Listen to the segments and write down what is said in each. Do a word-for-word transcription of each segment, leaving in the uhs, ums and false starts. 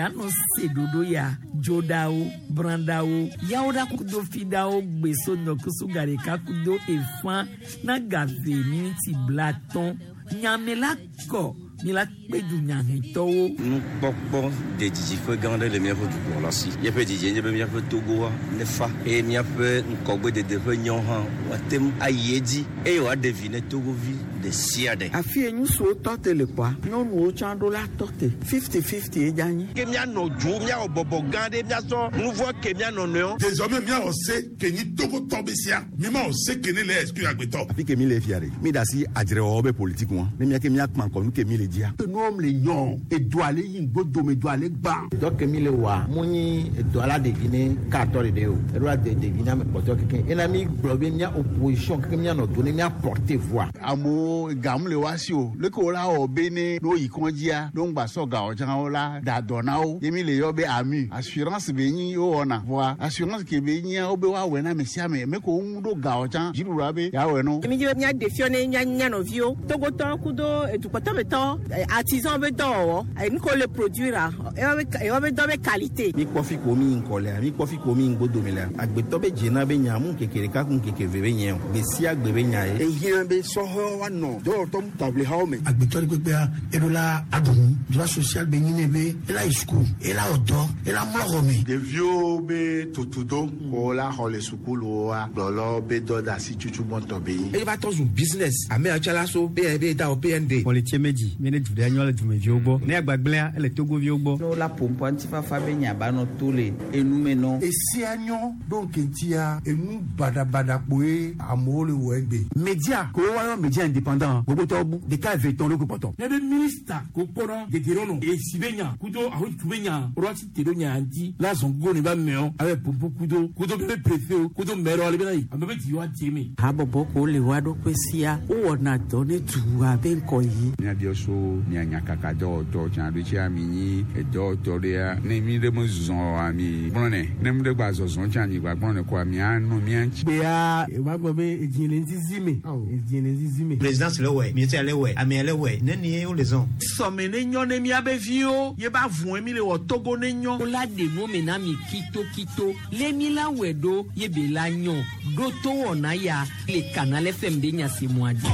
la nɔ se ɖoɖo ya dzoɖawo brandawo yawoɖa kudo fiɖawo gbeso nɔkusu gaɖeka kudo efã na gave miniti blatɔn nyame la kɔ mi la kpe dunyahɛtɔwo. Nukpɔkpɔ de didiƒe gã aɖe le míaƒe dukplɔla si. Míaƒe didie nye be míaƒe Togoa nefa eye míaƒe ŋgɔgbedede ƒe nyawo hã woate ŋu ayi edzi eye wòaɖe vi ne Togovi ɖe sia ɖe. Afi ye ŋutsuwo tɔ te le kpɔa, nyɔnuwo tsã ɖo la tɔ te. Fifty fifty ye dze anyi. Ke míanɔ dzo, míawɔ bɔbɔ gã ɖe, míasɔ nu vɔ ke míanɔ nɔewo. Désormais míawɔ se ke nyi Togotɔ be sia, mímawɔ se ke ne le exclure agbetɔ. Afi ke mi le fia ɖe, mi da asi adzrewɔwɔ be politique ŋua, ne mía ke míakpã ŋkɔ nu ke mi le dzia. Enuwo le nyɔ, edo ale yi ŋgbodome, edo ale gbã. Dɔ ke mi le wɔa, mu nyi edo ala ɖevi ne katɔ ɖeɖe o, eɖo la de ɖevi na ame kpɔtɔ keke. Ena mi gblɔ be mía opposition keke míanɔ do ne mía porter voix. Amewo gamu le wa si o, leke wo la wɔ be ne ne woyi kɔndzia, ne wogba sɔ gawo tsã wo la da dɔ na wo. Ye mi le yɔ be AMU, assurance be nyi wowɔna. Voa assurance ke be nyia wo be woawɔe na ame sia ame, me ko wo ŋu ɖo gawo tsã, dziɖuɖua be yeawɔe no. Mi dzi be míaɖe fiɔ ne mía mía nɔviwo, Togotɔwo kudo edukpɔtɔmetɔwo, artisan be dɔwɔwɔ, nu ke wole produire ewoa be dɔ be qualité. Mi kpɔ fi ko mi ŋkɔ lea, mi kpɔ fi ko mi ŋgbodome lea, agbetɔ be dzena be nya mu ŋkeke ɖeka ku ŋkeke eve be nye o, gbe sia gbe be nya ye. Ehiã be sɔhɛwo woanɔ dɔwɔtɔ taʋlihawo me. Agbetɔ ɖe kpekpea, eɖo la aɖu nu, droit social be nyi ne be ela yi suku, ela wɔ dɔ, ela mlɔ xɔ me. Ɖeviwo be tutudo ko la xɔ le sukuluwoa, gblɔlɔ be dɔ da asi tutu gbɔntɔ be nyi. Eye va tɔ zu business, ame yawo tsã la so P N B da wɔ P N D. Kpɔlitse medzi, mi ne du ɖe nyɔ le dumeviwo gbɔ, ne agbagblẽa ele Togoviwo gbɔ. Ne wola ƒoƒo ŋutifafa be nya ba nɔ to le enume nɔ. Esia nyɔ ɖo ŋkeŋtia enu baɖabaɖa kpoe amewo le wɔ egbe. Media ko woayɔ media indépendant gbogbotɔwo bu ɖeka eve tɔn ɖo ko kpɔtɔ. Ne be ministre ko kpɔnɔ dedienɔnɔ esi be nya kudo ahotu be nya ɖo asi te ɖo nya ŋuti la zɔn go ne ba mɛɔ abe popo kudo kudo be préfet o kudo maire ale bena yi ame be dzi wa dze me. Habɔbɔ ko le wa ɖokui sia wowɔna dɔ ne dua be ŋkɔ yi. Míabiɔ so mia nyakaka dɔwɔtɔ tsã ɖo tsia mi nyi edɔwɔtɔ ɖea ne mi ɖe me zɔ ami gblɔnɛ ne mi ɖe gba zɔzɔ tsã mi gba gblɔnɛ koa mia nɔ mia ŋuti. Gbea eva gblɔ be edzi le ŋzizi me, edzi le ŋzizi me. Présidence le wɔ, ministère le wɔ, amea le wɔ, neni ye wole zɔn. Sɔme ne nyɔ ne miabe viwo ye ba vɔe mi le wɔ Togo ne nyɔ. Wola ɖe nu me na mi kitokito le mi la wɔe ɖo ye be la nyɔ ɖo to wɔna ya le Canal F M be nyasemɔa dzi.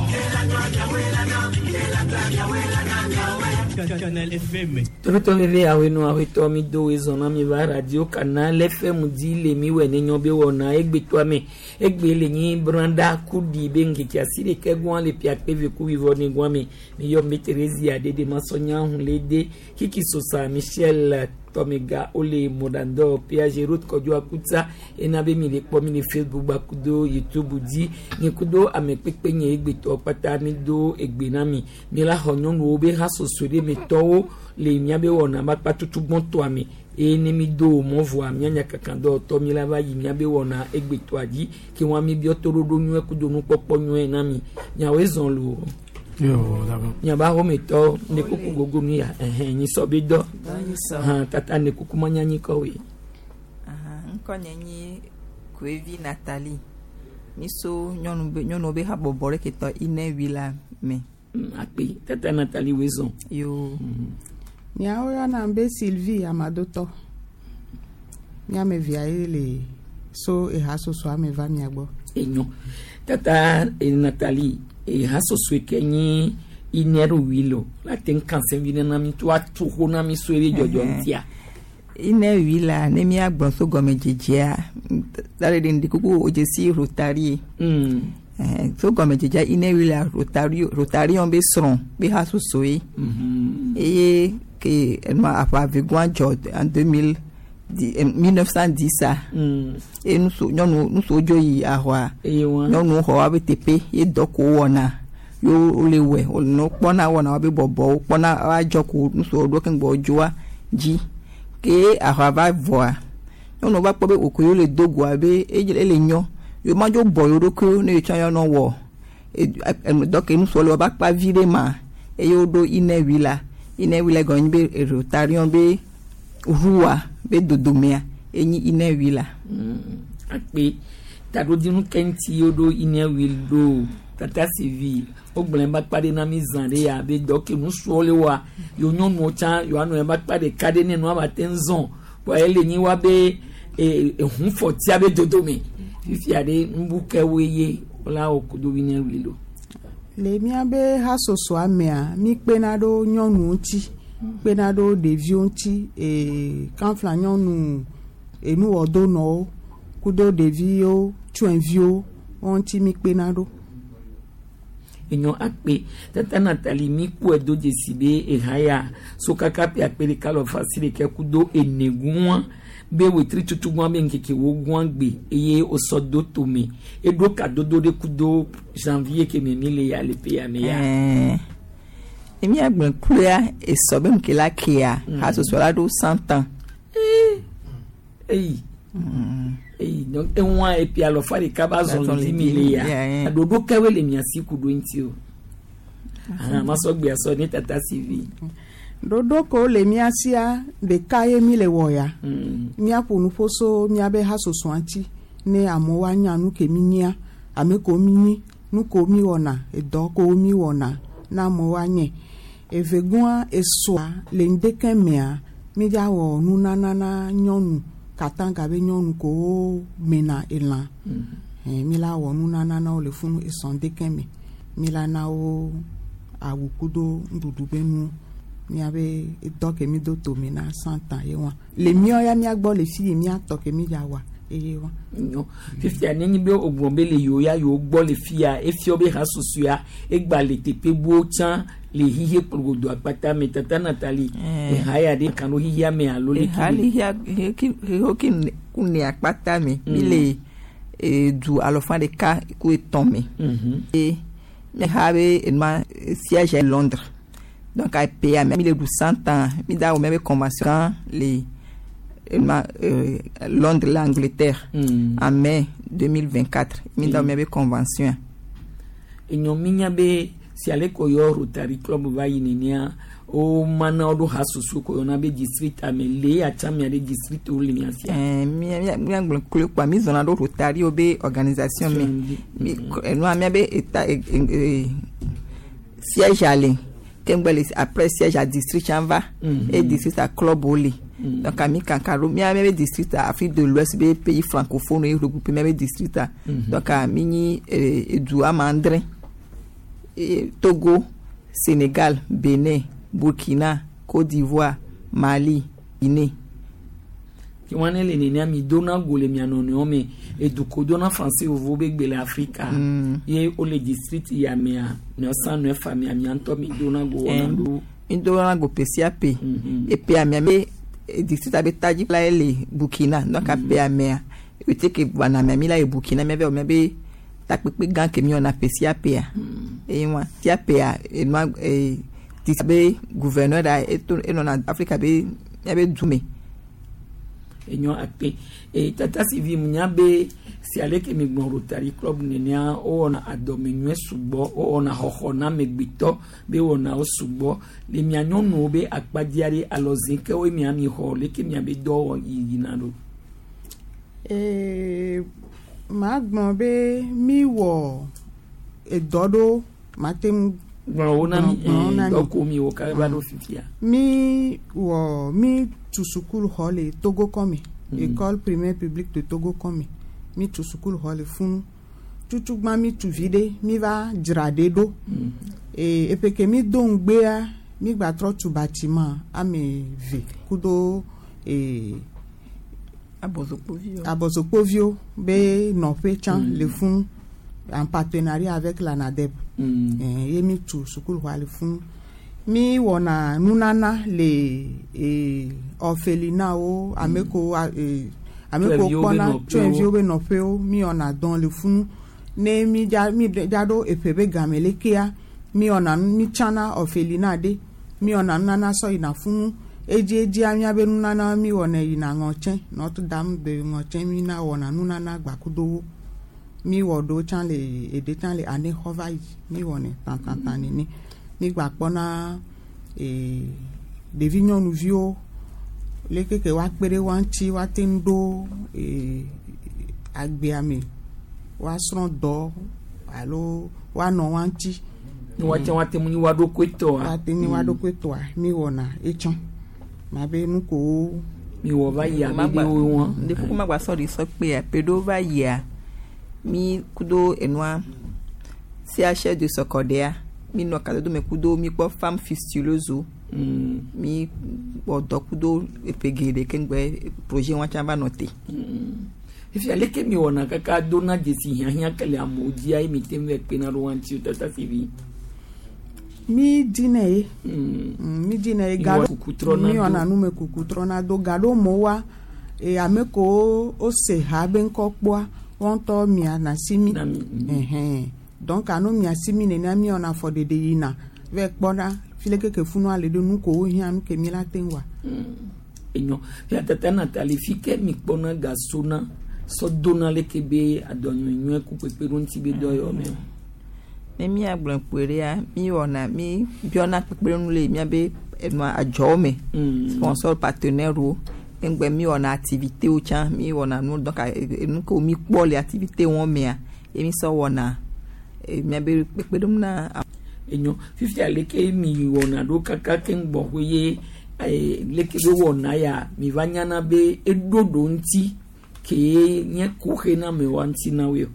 Canal F M. Tobetɔ veve awenu awetɔ mi do wezɔn na mi va radio Canal F M dzi le mi wɔ ne nyɔ be wɔna egbetɔa me egbe le nyi branda kuɖi be ŋkeke asi ɖeke gɔa le piakpe ve ku wivɔ ne gɔa me mi yɔ mi Theresia dede masɔnya hun le de Kiki Sosa Michel Tɔmega wole mɔɖandɔ P A G route Kɔdzo Akuta ena be mi le kpɔ mi le Facebook gbakudo YouTube dzi nye kudo ame kpekpe nye egbetɔ kpata mi do egbe na mi. Mi la xɔ nyɔnuwo be hasoso ɖe me tɔwo le miabe wɔna ba kpa tutu gbɔntɔa me eye ne mi do mɔ vɔa mianya kankan dɔwɔtɔ mi la va yi miabe wɔna egbetɔa dzi ke wɔn mi biɔ toɖoɖo nyuie kudo nukpɔkpɔ nyuie na mi miawoe zɔn lo. Yo, d'accord. Miaba xometɔ ne kuku gogo nu ya ɛhɛn nyisɔ be dɔ hàn tata ne kuku manyanyi kɔwoe. Ŋkɔ nye nyi Koevi Nathalie. Mi so nyɔnu be nyɔnuwo be habɔbɔ ɖe ke tɔ Inɛwi la me. Akpe tata Nathalie woe zɔn. Yo. Miawo yɔna be Sylvie Amadotɔ. Miame via ye le so ehasosoa me va mia gbɔ. Enyo tata eh, Nathalie ehasosoe ke nyi Inɛri lo la te ŋu kan vi nana mi to atu xo na mi so ebe dzɔdzɔ ŋutia. Inɛwi la ne míagblɔ so gɔmedzedzea da ɖe ŋdi kuku wòdze si Rotary. Mm. Eh, so gɔmedzedzea Inɛwi la Rotary Rotarion be srɔ̃ be hasosoe. Mm-hmm. Eye ke enua aʋa vegoa dzɔ en deux mille mille neuf cent dix a. Mm. Eye nuso nyɔnu nusowo dzo yi ahɔa. Eye wa. Nyɔnuwo xɔ woabe teƒe ye dɔ ko wɔna ye wole wɔe wole no kpɔna wɔna woabe bɔbɔwo kpɔna woadzɔ ko nusowo ɖo keŋ gbɔ dzoa dzi ke ahɔa va vɔa nyɔnuwo va kpɔ be wòko yewo le do goa be ele nyɔ yewo ma dzo bɔ yewo ɖokuiwo ne yewo tsã yewoanɔ wɔ dɔ ke nusowo le woava kpa vi ɖe ma eye woɖo Inɛwi la. Inɛwi la gɔme nyi be Rotarion be ʋua be dodomea enyi Inɛwi la. Akpe taɖodzinu ke ŋuti woɖo Inɛwi ɖo. Tata Sylvie wogblɔ ebe akpa ɖe na mi zã ɖe ya be dɔ ke nusuwo le wa yewo nyɔnuwo tsã yewoanɔ ebe akpa ɖeka ɖe ne nua ba te ŋu zɔn kɔa ele nyi wa be ehunfɔtia be dodome fifia ɖe nubu kewoe ye wola wɔ kudo wi ne wuli lo. Le míabe hasosoa mea, mi kpena ɖo nyɔnuwo ŋuti, kpena ɖo ɖeviwo ŋuti, ee kanfla nyɔnu enuwɔdonɔwo kudo ɖeviwo, tsyɔ̃eviwo wo ŋuti mi kpena ɖo. Enyɔ akpe tata Nathalie mi kpɔe do dzesi be eha ya so kaka ƒe akpe ɖeka lɔ asi ɖeka kudo ene gua be wetri tutu gua be ŋkeke wo gua gbe eye wosɔ do tome eɖo kadodo ɖe kudo janvier ke me mi le ya le ƒe ya me ya. Ɛɛ emi agblẽ kloa esɔ be nuke la kea hasoso la ɖo cent ans. Eyi eyi donc eŋua epi alɔfa ɖeka va zɔn le di mi le ya ɖoɖo kewoe le mia si ku ɖo ŋuti o ahan masɔ gbe asɔ ne tata Sylvie. Ɖoɖo kewo le mía sia ɖeka ye mi le wɔ ya. Míaƒo nuƒo so míabe hasosoa ŋuti ne amewo anya nu ke mi nyia, ame kewo mi nyi, nu kewo mi wɔna, edɔ kewo mi wɔna na amewo anye. Evegɔa esɔa le ŋdeke mea mi dza wɔ nunana na nyɔnu katanga be nyɔnu kewo mena elã. Eh, mi la wɔ nunana na wo le funu esɔ ŋdeke me. Mi la na wo awu kudo nuɖuɖu be nu. Míabe dɔ ke mi do tome na cent ans ye wa. Le míawo ya míagbɔ le fi yi míatɔ ke mi dza wɔa eye wa. Nyɔ fifia nenye be wogblɔ be le yewo ya yewo gbɔ le fia efiɔ be hasoso ya egba le teƒe buwo tsã le xixe kplogodo akpata me tata Nathalie eha ya ɖe kan ɖo xixea me alo le Eha le xixea xixewo ke ku ne akpata me mi le edu alɔfa ɖeka ku etɔ̃ me. Eye eha be enua siège est Londres. Donc a PA mi le ɖu cent ans mi da wɔ miabe convention le enua euh, Londres l'Angleterre mm. en mai deux mille vingt-quatre mi da wɔ miabe convention. Enyɔ mi nya be si ale ko yɔ Rotary Club va yi nenea wo mana wo ɖo hasoso ko yɔna be district ame le atsa mia ɖe district wo le mia sia. Ɛɛ mia mia gblɔ klo kpa mi zɔna ɖo Rotary wo be organisation me mi enua mia be eta e e siège ale ke ŋgbɛ le après siège a district tsã va et district a club wo le donc ami kankan ɖo mia mia be district a Afrique de l'Ouest be pays francophone ye regroupé mia be district a donc mi nyi edu ame adre Togo, Sénégal, Bénin, Burkina, Côte d'Ivoire, Mali, Guinée. Ke wọn ne le nenea mi dona go le mia nɔnɔewo me eduko dona français vovovo be gbe le Afrika ye wole district ya mea neɔsan nɔe fa mia mia ŋutɔ mi dona go wɔna ɖo. Mi dona go ƒe sia ƒe eƒe amea me district abe tadzi la ye le Burkina donc aƒe amea ete ke gbana mea mi la ye Burkina mia be wɔ mia be takpekpe gã ke mi wɔna ƒe sia ƒea eye wa sia ƒea enua ee district be gouverneur ɖa eto enɔna Afrika be mia be du me. Enyɔ akpe e tata Sylvie nya be si ale ke mi gblɔ Rotary Club nenea wowɔna adɔmenyuie sugbɔ wowɔna xɔxɔ na amegbetɔ be wɔna wo sugbɔ le mia nyɔnuwo be akpadzia ɖe alɔze kewoe mia mi xɔ leke mia be dɔ wɔ yiyina ɖo. Ee, magblɔ be mi wɔ edɔ ɖo mate ŋu gblɔ wo na mi gblɔ wo na mi. dɔ ko mi wɔ kaba va ɖo fifia. Mi wɔ mi tu sukulu xɔ le Togo kɔme. École primaire publique de Togo kɔme. Mi tu sukulu xɔ le funu. Tutugbã mi tu vi ɖe mi va dzra ɖe ɖo. Ee eƒe ke mi do ŋugbea mi gba trɔ tu bâtiment ame eve kudo ee Abɔzokpoviwo. Abɔzokpoviwo be nɔƒe tsã le funu en partenariat avec la NADEP. Eh, ye mi tu sukulu xɔa le funu. Mi wɔna nunana le ee orphelinatwo ame kewo ee ame kewo Tsyɔ̃eviwo be kpɔna nɔƒewo. tsyɔ̃eviwo be nɔƒewo mi wɔna dɔ le funu. Ne mi dza mi dza ɖo eƒe be game lekea mi wɔna nu mi tsana orphelinat ɖe mi wɔna nunana sɔ yina funu. Edziedzia míabe nunana mi wɔnɛ yina ŋɔtsɛ Notre Dame de ŋɔtsɛ mi na wɔna nunana gbakudo wo. Mi wɔ ɖewo tsã le eɖe tsã le anexɔ va yi mi wɔnɛ tãtãtã nene. Mi gba kpɔna ee ɖevi nyɔnuviwo leke ke woakpe ɖe woa ŋuti woate ŋu ɖo ee agbea me woasrɔ̃ dɔ alo woanɔ wa ŋuti. Ne woate woate ŋu nyi woa ɖokui tɔa. Woate nyi woa ɖokui tɔa mi wɔna etsã ma be nu kowo. Mi wɔ va yia mi ɖe wo wɔn. Ɖe ma gba sɔ ɖi sɔ kpea pe ɖewo va yia mi kudo enua C H de Sɔkɔɖea mi nɔ kadodo me kudo mi kpɔ femme fistuleuse Mm. mi wɔ dɔ kudo eƒe geɖe keŋgbe projet wa tsã va nɔ te. Fifia leke mi wɔna kaka dona dzesi hiahiã ke le amewo dzia ye mi te ŋu va kpena ɖo wa ŋuti o tata Sylvie. Mi dina ye. Mm. Mi dina ye Mi ga wɔ kuku trɔna mi do. wɔna numekuku trɔna do ga ɖo mo wa e ame kewo wose ha be ŋkɔ kpɔa wɔn ŋutɔ miana si mi. Ɛhɛn. Donc alo mia si mi nenia mi wɔna afɔɖeɖe yina va kpɔna fi leke ke funua le ɖo nu kewo hiã nu ke mi la te ŋu wa. Enyo fia tata Nathalie fi ke mi kpɔna ga sona sɔ dona leke be adɔnyuinyuie ku kpekpe ɖo ŋuti be dɔyɔ me o. Ne míagblɔ kpoe ɖea mi wɔna mi biɔna kpekpeɖeŋu le míabe enua adzɔwo me. Sponsor partenaire wo keŋgbe mi wɔna activité wo tsã mi wɔna nu donc enu kewo mi kpɔ le activité wɔn mea ye mi sɔ wɔna e, míabe kpekpeɖeŋu na. Enyo fifia leke mi wɔna ɖo kaka keŋ gbɔxɔe ye eh, leke be wɔna ya mi va nyana be eɖo ɖo ŋuti ke nye kuxe na amewoa ŋuti na woe o.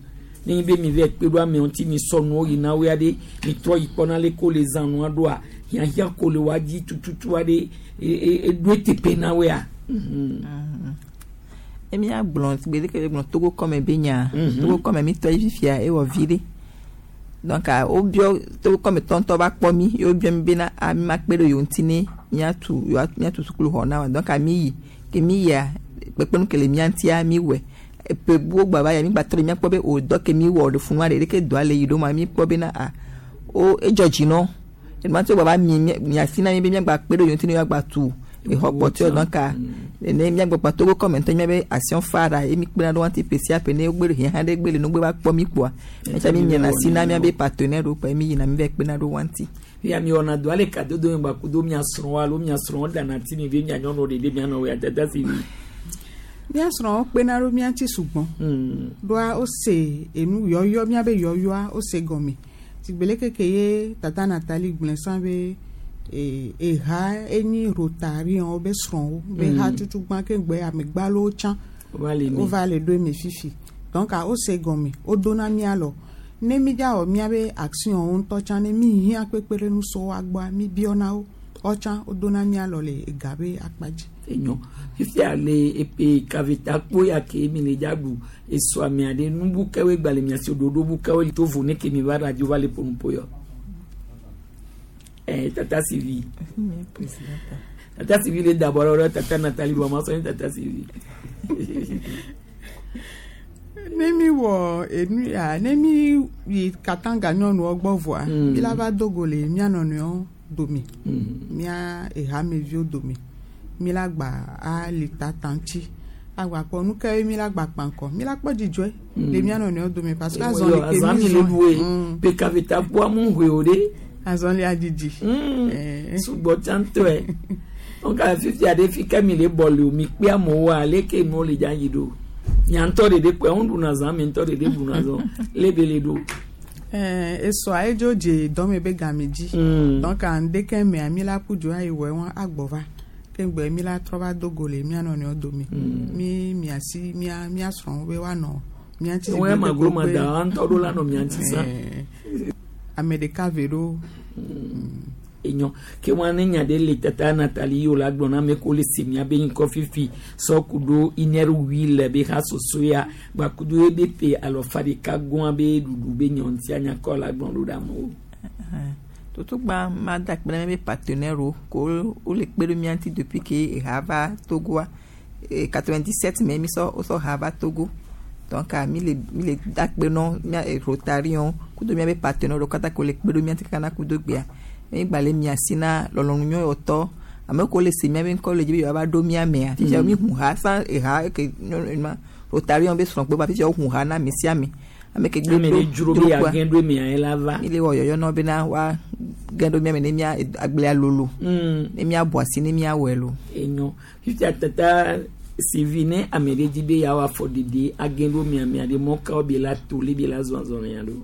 Ne nyi be mi va kpe ɖo amewo ŋuti mi sɔ nuwo yina woe aɖe mi trɔ yi kpɔna leke wole zã nua ɖoa hiãhiã ko le woa dzi tututu aɖe e- e- eɖo eteƒe na woea. Mhm. Ne míagblɔ gbe ɖeke be gblɔ Togo kɔme be nya Mhm. Togo kɔme mi tɔ ye fifia ewɔ vi ɖe. Donc wobiɔ Togo kɔme tɔntɔ va kpɔ mi ye wobiɔ mi bena a mi ma kpe ɖe yewo ŋuti ne míatu yewoa míatu sukuluxɔ na wa donc mi yi ke mi yia kpekpeɖeŋu ke le mía ŋutia mi wɔe. Eƒe buwo gba va yia mi gba trɔ yi míakpɔ be o dɔ ke mi wɔ ɖe funua ɖe leke dɔa le yi ɖo ma mi kpɔ bena a wo edzɔ dzi nɔ. Enumate wo gba va mi mia asi na mi be míagba kpe ɖe yewo ŋuti ne yewoagba tu exɔ kpɔtɔewo donc ne míagbɔ kpa Togo kɔme ŋutɔ míabe action phare ye mi kpena ɖo ŋuti ƒe sia ƒe ne wogbe ɖe hiã ɖe gbe le nugbe va kpɔ mi kpoa míatsa mi miana asi na míabe partenaire wo kpa mi yina mi va kpena ɖo ŋuti. Ya mi wɔna dɔ ale kadodo me gba kudo mia srɔ̃wo alo mia srɔ̃wo ɖana ti mi be mia nyɔnuwo ɖeɖe mia nɔwo ya tata Sylvie. Mía srɔ̃wo kpena ɖo mía ŋuti sugbɔ. Ɖoa wose enu yɔyɔ míabe yɔyɔa wose gɔme. Sigbe leke ke ye tata Nathalie gblɔe sã be e eha enyi Rotarianwo be srɔ̃wo be Mm. ha tutugbã ke gbe amegbalowo tsã Wova le eme. wova le ɖo eme fifi. Donc wose gɔme wodona mía lɔ. Ne mi dza wɔ míabe action wo ŋutɔ tsã ne mi hiã kpekpeɖeŋu so woa gbɔa mi biɔna wo. Wotsã wodona mía lɔ le ega be akpa dzi. Enyo fifia le epe kaveta kpo ya ke mi le dza ɖu esɔ amea ɖe nubu kewoe gba le mia si ɖoɖo bu kewoe to vo ne ke mi va radio va le ƒonuƒo yɔ. Eh, tata Sylvie. Tata Sylvie le dabɔ ɖe tata Nathalie vɔ ma sɔ ne tata Sylvie. Ne mi wɔ enu ya ne mi yi Katanga nyɔnuwo gbɔ vɔa Mm. mi la va do go le mía nɔnɔewo dome. Mm. Mía ehameviwo dome. Mi la gba ali tata ŋuti agba kpɔ nu ke mi la gba kpankɔ mi la kpɔ dzidzɔe Mm. le mía nɔnɔewo dome parce que Ewɔ azɔli yɔ, ke azã mi mi le zɔn ɖu ye. Mm. Pe kaveta kpoa mu hoe o ɖe. Azɔli adzidzi. Mm. Sugbɔ tsã ŋutɔe. Donc fifia ɖe fi ke mi le bɔ le o mi kpe amewoa leke nuwo le dza yi ɖo. Mia ŋutɔ ɖeɖe kpoe ŋu ɖuna zã mi ŋutɔ ɖeɖe ɖuna zã lebe le ɖo. Ɛɛ esɔa edzo dze dɔme be game dzi. Mm. Donc ŋdeke mea mi la ƒu dzo ayi wɔ wɔn agbɔ va. Ke gbe mi la trɔ va do go le mía nɔnɔewo dome. Mi mia si mía mía srɔ̃wo be woanɔ mía ŋuti. Wɔn ya maglo ma da wa ŋutɔ ɖo la nɔ mia ŋuti sã. Ɛɛ ame ɖeka ve ɖo. Enyo ke wɔn ne nya ɖe le tata Nathalie yi o la gblɔ na ame ko le se mia be ŋkɔ fifi sɔ ku ɖo iner wi le be ha soso ya gba ku ɖo ebe pe alɔfa ɖeka gɔa be ɖuɖu be nyɔ ŋuti anyakɔ la gblɔ ɖo ɖe amewo. Totugba ma da akpe na míabe partenaire wo ko wole kpe ɖo mía ŋuti depuis ke eha va Togoa. E quatre-vingt-dix-sept me mi sɔ wosɔ ha va Togo. Donc mi le mi le da akpe nɔ mía Rotarian kudo míabe partenaire wo katã ke wole kpe ɖo mía ŋuti kaka na kudo gbea. Mi gba le mia si na lɔlɔ̃nu nyɔyɔtɔ ame kewo le se míabe ŋkɔ le dzi be yewoava ɖo mía mea. Fifia mi ʋu ha san eha ke nyɔnu ma Rotarian be srɔ̃kpe va fifia woʋu ha na ame sia ame. Ame ke gbe Ame ɖo ɖe dzro be yeage ɖo mia ye la va. Mi le wɔ yɔyɔ na wo bena woa ge ɖo mía me ne mía agblea lolo. Mm. Ne míabɔ asi ne míawɔe lo. Enyo fifia tata Sylvie ne ame ɖe dzi be yeawɔ afɔɖeɖe age ɖo mia mia ɖe mɔ kawo be la to le be la zɔ azɔlia ɖo.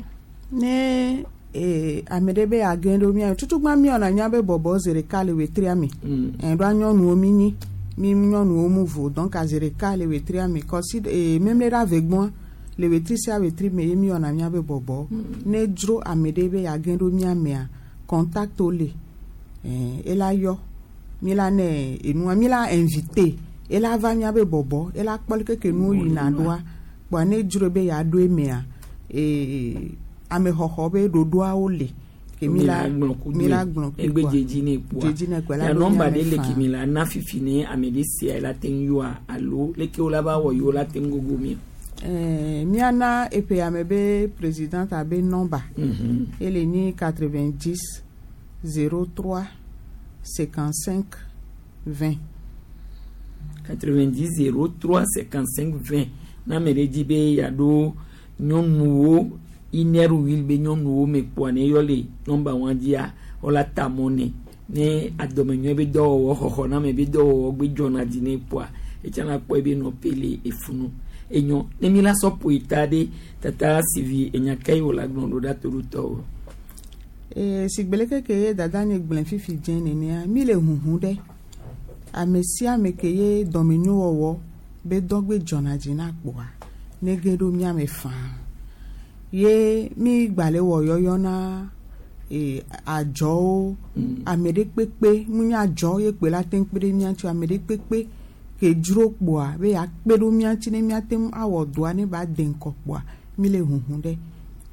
Ne eh, ame ɖe be yeage ɖo mía tutugbã míwɔna míabe bɔbɔ zi ɖeka le wetria me. Mm. Ɖoa nyɔnuwo mi nyi mi nyɔnuwo mu vo donc zi ɖeka le wetria me kɔsi eh, memle ɖe ave gbɔa le wetri sia wetri me ye míwɔna míabe bɔbɔ. Mm. Ne dzro ame ɖe be yeage ɖo mía mea contact wo le eh, ela yɔ mi la ne enua mi la invité ela va míabe bɔbɔ ela kpɔ leke ke nuwo yina ɖoa kpoa ne dzro be yeaɖo emea eh, amexɔxɔ be ɖoɖoawo le ke mi la mi la gblɔ kui egbe dzedzi ne kpoa dzedzi ne kpoa la nɔmba ɖe le ke mi la na fifi ne ame ɖe sia la te ŋu yɔa alo leke wo la va wɔ yewo la te ŋu gogo mi. Ɛɛ miana eƒe ame be présidente abe nɔmba ele nyi quatre-vingt-dix zéro trois cinquante-cinq vingt. quatre-vingt-dix zéro trois cinquante-cinq vingt na ame ɖe dzi be yeaɖo nyɔnuwo inɛru wil be nyɔnuwo me kpoa ne yɔ le nɔmba wa dzia wola ta mɔ nɛ ne adɔmenyɔe be dɔwɔwɔ xɔxɔname be dɔwɔwɔ gbe dzɔna dzi ne kpoa etsã la kpɔe be nɔƒe le efunu enyɔ ne mi la sɔ ƒo ta ɖe tata sivi enyaka yi wo la gblɔ ɖo ɖa to ɖo tɔwo. Ee sigbe leke ke ye dada nye gblẽ fifi dze nenea mi le huhu ɖe ame sia ame ke ye dɔmenyowɔwɔ be dɔgbe dzɔna dzi na kpoa ne ge ɖo mía me faa. Ye mi gba le wɔ yɔyɔ na e, adzɔwo mm. ame ɖe kpekpe mu nye adzɔ ye kpe la te ŋu kpe ɖe mía ŋuti ame ɖe kpekpe ke dzro kpoa be yeakpe ɖo mía ŋuti ne míate ŋu awɔ dɔa ne ba de ŋkɔ kpoa mi le huhu ɖe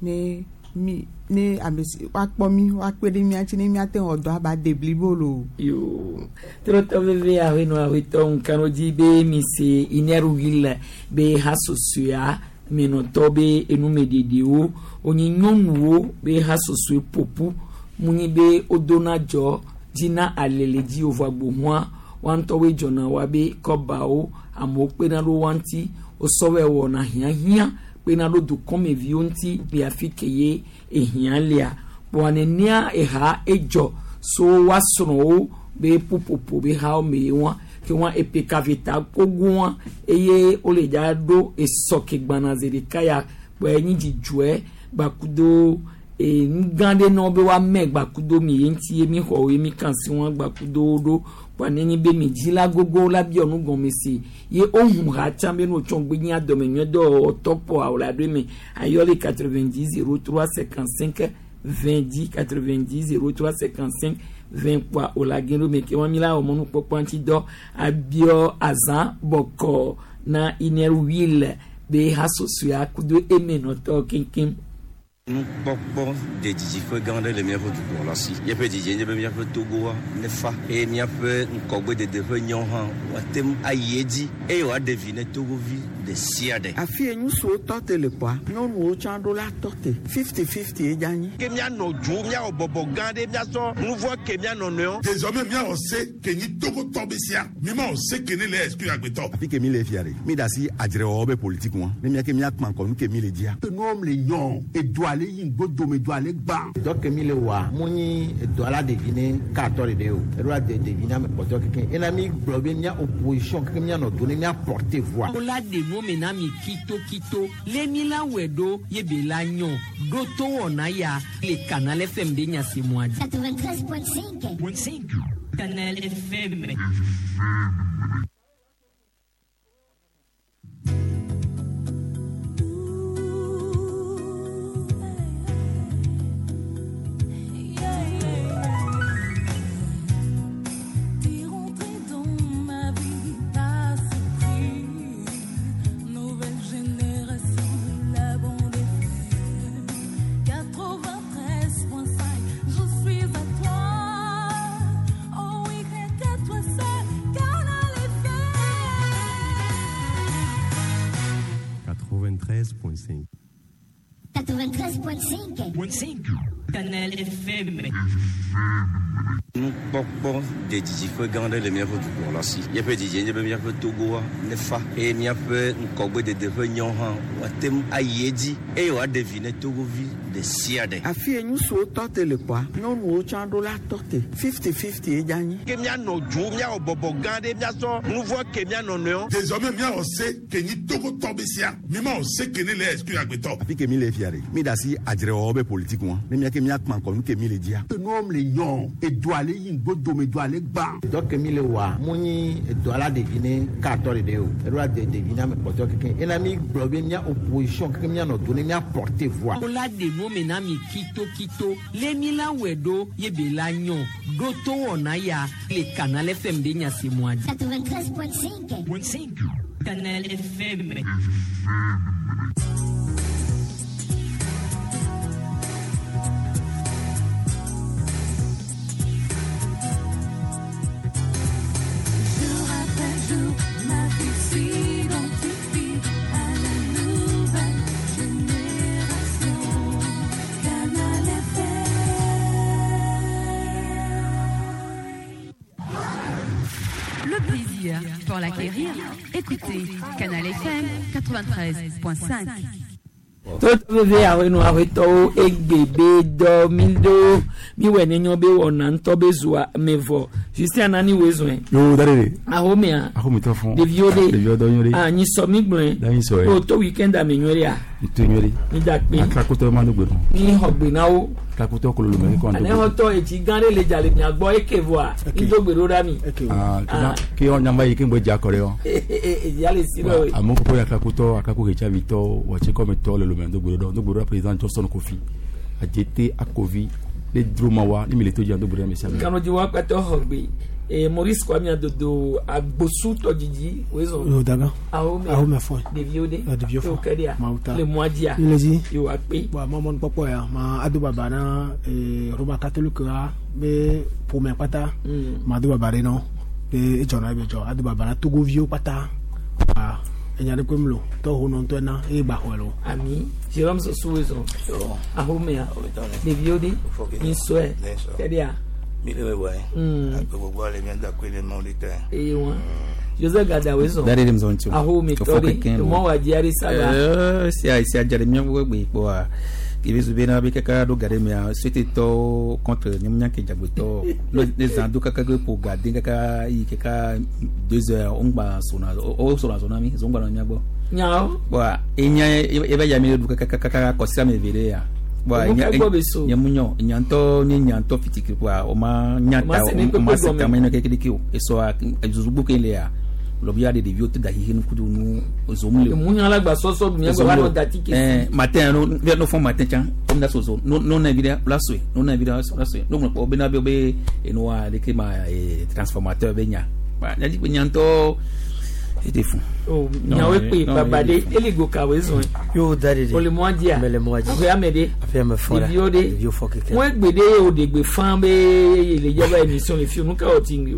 ne mi ne ame si woakpɔ mi woakpe ɖe mía ŋuti ne míate ŋu wɔ dɔa ba de blibo loo. Yo trɔtɔ veve ahenɔ ahetɔ ŋkano dzi be mi se inɛru wil be hasosoa menɔtɔ be enumeɖeɖewo wonye nyɔnuwo be hasosoe ƒoƒu mu nyi be wodona dzɔ dzina alele dzi wòvɔ agbohua woa ŋutɔwoe dzɔna woabe kɔbawo amewo kpena ɖo woa ŋuti wosɔwɔe wɔna hiãhiã kpena ɖo dukɔmeviwo ŋuti le afi ke ye ehiã lea kpoa nenea eha edzɔ so woa srɔ̃wo be ƒuƒoƒo be hawo me wa ke wa epekaveta kogoa eye wole dza ɖo esɔ ke gbana zi ɖeka ya kpɔe nyi dzidzɔe gbakudo e nu gã ɖe na wo be woame gbakudo mi ye ŋuti ye mi xɔ wo ye mi kan si wɔn gbakudo wo ɖo kpoa nenye be mi dzi la gogo la biɔ nu gɔme si ye wohu ha tsã be no tsɔ gbe nyi adɔme nyuie dɔwɔtɔ kpɔa wòle aɖo me ayɔ le quatre-vingt-dix zéro trois cinquante-cinq vingt dix quatre-vingt-dix zéro trois cinquante-cinq vingt kpoa wòle age ɖo me ke wɔn mi la wɔ mɔnukpɔkpɔ ŋuti dɔ abiɔ azã bɔkɔ na inɛr wil be hasosoa kudo emenɔtɔ keŋkeŋ. Nukpɔkpɔ de dzidziƒe gã aɖe le míaƒe dukplɔla si. Míaƒe dzidzi nye be míaƒe Togoa nefa eye míaƒe ŋkɔgbedede ƒe nyawo hã woate ŋu ayi edzi eye wòaɖe vi ne Togovi ɖe sia ɖe. Afi ye ŋutsuwo tɔ te le kpoa nyɔnuwo tsã ɖo la tɔ te fifty fifty ye dza nyi. Ke míanɔ dzo míawɔ bɔbɔ gã ɖe míasɔ nu vɔ ke míanɔ nɔewo. Désormais míawɔ se ke nyi Togotɔ be sia mi ma wɔ se ke ne le exclure agbetɔ. Afi ke mi le fia ɖe mi da asi adzrewɔwɔ be politique ŋua ne mía ke míakpã ŋkɔ nu ke mi le dzia. Nuwo le nyɔ edu ale yi ŋgbodome du ale gbã. Dɔ ke mi le wɔa mu nyi edɔ la ɖevi ne katɔ ɖeɖe o eɖo la de ɖevi ne ame kpɔtɔ keke ena mi gblɔ be mía opposition keke míanɔ do ne mía porter voix. Wola ɖe nu me na mi kitokito le mi la wɔe ɖo ye be la nyɔ ɖo to wɔna ya le Canal F M be nyasemɔa dzi. quatre-vingt-treize point cinq. Canal F M. quatre-vingt-treize point cinq. quatre-vingt-treize point cinq. Canal F M. Nukpɔkpɔ de didiƒe gã aɖe le míaƒe dukplɔla si. Míaƒe didie nye be míaƒe Togoa nefa eye míaƒe ŋgɔgbedede ƒe nyɔ hã wòate ŋu ayi edzi eye wòaɖe vi ne Togovi ɖe sia ɖe. Afi ye ŋutsuwo tɔ te le kpɔa, nyɔnuwo tsã ɖo la tɔ te. Fifty fifty ye dza nyi. Ke míanɔ dzo, míawɔ bɔbɔ gã ɖe, míasɔ nu vɔ ke míanɔ nɔewo. Désormais míawɔ se ke nyi Togotɔ be sia. Mi ma wɔ se ke ne le exclure agbetɔ. Afi ke mi le fia ɖe, mi da asi adzrewɔwɔ be politique ŋua. Ne mía ke míakpã ŋkɔ nu ke mi le dzia. Enuwo le nyɔ, edu ale yi ŋgbodome, edu ale gbã. Dɔ ke mi le wɔa, mu nyi edu ala ɖevi ne katɔ ɖeɖe o. Eɖo la de ɖevi na ame kpɔtɔe keke. Ena mi gblɔ be mía opposition keke míanɔ do ne mía porter voix. Wola ɖe nu me na mi kitokito. Le mi la wɔe ɖo ye be la nyɔ. Ɖo to wɔna ya le Canal F M be nya se mɔa dzi. quatre-vingt-treize point cinq. Canal F M. Jour après jour, ma vie s'identifie à la nouvelle génération. Canal F M. Le plaisir pour l'acquérir, écoutez Canal F M quatre-vingt-treize point cinq. Toto veve awenu awetɔwo egbe be dɔ mi do mi wɔ ne nyɔ be wɔna ŋutɔ be zua me vɔ Justin nani wo zɔn. Yo da de. Ahomea. Ahometɔ fún. Ɖeviwo de. Ɖeviwo dɔ nyuie. Ah nyi sɔ mi gblɔe. Da nyi sɔ ye. O to weekend ame nyuie ɖe ya. To nyuie ɖe. Mi da kpe. Atlakutɔ ma do gbe nɔ. Mi xɔ gbe na wo. Atlakutɔ kololo mɛ kɔ Ane xɔtɔ etsi gã ɖe le dza le mia gbɔ eke vɔa. Mi do gbe ɖo ɖa mi. Ah ke yɔ nyamba yi ke ŋgbɛ dza kɔ ɖe yɔ. Edzia le si ɖe. Amewo kpɔkpɔ ya atlakutɔ atlako ɣetsavi wɔtsi kɔmetɔ le lome do gbe ɖo do gbe ɖo président Johnson Kofi Adjete Akovi le droma wa ni mi le to dzi do gbe ɖe ame sia ame. Kanodzi wa kpatɔ xɔ gbe. E Maurice Kwame Adodo agbosu tɔdzidzi wo zɔn. Yo daga. Ahome. Ahome fɔ. Ɖeviwo de. Ɖeviwo fɔ. Yo kɛ de ya. Mawu ta. Le mɔa dzia. Le dzi. Yo akpe. Bon, mɔ mɔnu kpɔkpɔ ya ma ado baba na eh, Roma catholique a be ƒome kpata. Mm. Ma do baba ɖe nɔ be edzɔna ebe dzɔ ado baba na Togoviwo kpata. Wa enya ɖe koe mlo tɔ ho nɔ ŋutɔ na eye gba xɔe lo. Ami Jérôme Sossou wo zɔn. Ahomea. Ɖeviwo de. Nyisɔe. Kɛ de ya. Mi le wɔ ye. Mm. Agbogbo le mi da koe le mawu de tɛ. Eye wa. Joseph Gada wo zɔn. Da ɖe ɖe mzɔn tso. Ahometɔ de. Mɔ wa dzi aɖe saba. Eh, sia sia dza ɖe míaƒe gbe kpɔa kebe zu bena be kaka ɖo ga ɖe mea suetetɔwo contre nyemunya ke dzagbetɔ ne zã do kaka ke ƒo ga den kaka yi kaka deux heures wo ŋgba sona wo sona zona mi zo ŋgba nɔ mía gbɔ. Nyawo. Bɔn enya ebe ya mi ɖu kaka kaka kɔsi ame eve ɖe ya. Bɔn Emu ka gbɔ be so. nyemunyɔ nyantɔ nye nyantɔ fitiki kpɔa o ma nya O ma ta se ne o ma kpekpe se gɔme. tame ne kekeleke o esɔa zozugbo ke le ya lɔbi ya de ɖeviwo te da xixe nukudu nu zom le o. Emu la gba sɔsɔ du mía gbɔ va nɔ dati kesi. Eh, matin no no fɔ matin tsã comme da sozo no no na vi ɖe la soe no na vi ɖe la soe no ŋlɔ kpɔ bena be be enua leke ma eh, transformateur be nya ba nya dzi be nya ŋutɔ ete fún. O nyawo kpe baba de eligo kawoe zɔn. Yo da de de. O le mɔa dzia. Mɛ le mɔa dzi. Aƒe ame ɖe. Aƒe ame fɔ la. Ɖeviwo ɖe. Ɖeviwo fɔ keke. Ŋue gbe ɖe o de gbe fã be le dzaba émission le fi o nu ka wɔ ti ŋgbe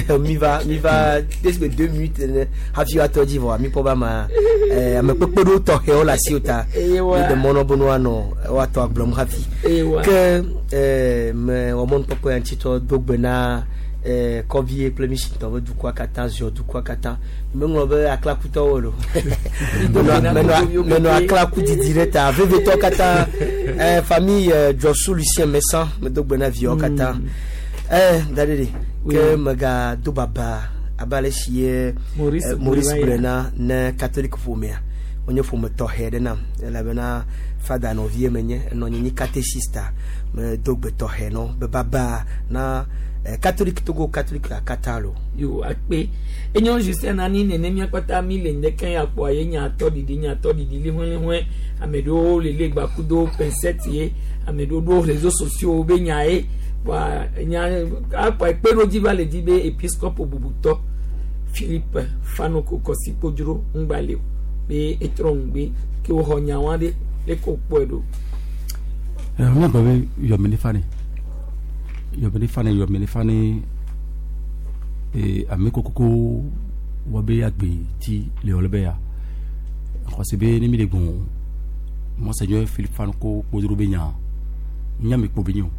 o. mi va mi va presque deux minutes ene hafi woatɔ dzi vɔa mi kpɔ be ama eh, ame kpekpe ɖewo tɔxɛwo le asiwò ta Eye wa. mi ɖe mɔ nɔ be ne woanɔ woatɔ agblɔm hafi Eye wa. ke eh, me wɔ mɔnukpɔkpɔ ya ŋutitɔ do gbe na eh, kɔvie kple misitɔ be dukɔa katã ziɔ dukɔa katã meŋlɔ be aklakutɔwo lo do gbe na menɔ Togoviwo menɔ keke. aklaku didi ɖe ta vevetɔ katã eh, famille eh, Dzɔsu Lucien Messan medo gbe na viawo katã eh, da ɖe ɖe ke mega do baba abe ale si ye Maurice eh, Maurice gblɔe va gblɔe na ne catholique ƒomea wonye ƒome tɔxɛ ɖe nam elabena fada nɔvie menye enɔ nye nyi catéchiste medo gbe tɔxɛ nɔ be baba na eh, catholique Togo catholique katã lo. Yo akpe. Enyo Justin nani nene mía kpata mi le ŋdeke ya kpɔa ye nya tɔ ɖiɖi nya tɔ ɖiɖi liʋẽliʋẽ ame ɖewo le le gbakudo pincette ye ame ɖewo ɖo réseaux sociaux be nya ye kpɔa nya akpɔ ekpeɖodzi va le dzi be episcope bubutɔ Philippe Fanoko Kɔsi Kpodzro ŋgba le o be etrɔ ŋgbe ke woxɔ nyawa ɖe leke wokpɔe ɖo. Míagbɔ be yɔmɛ ne fa ne yɔmɛ ne fa ne yɔmɛ ne fa ne ee ame kokoko wɔ be agbe ti le yɔ le be ya xɔse be ne mi le gbɔn monseigneur Philippe Fanoko Kpodzro be nya nya mi kpo be nyi o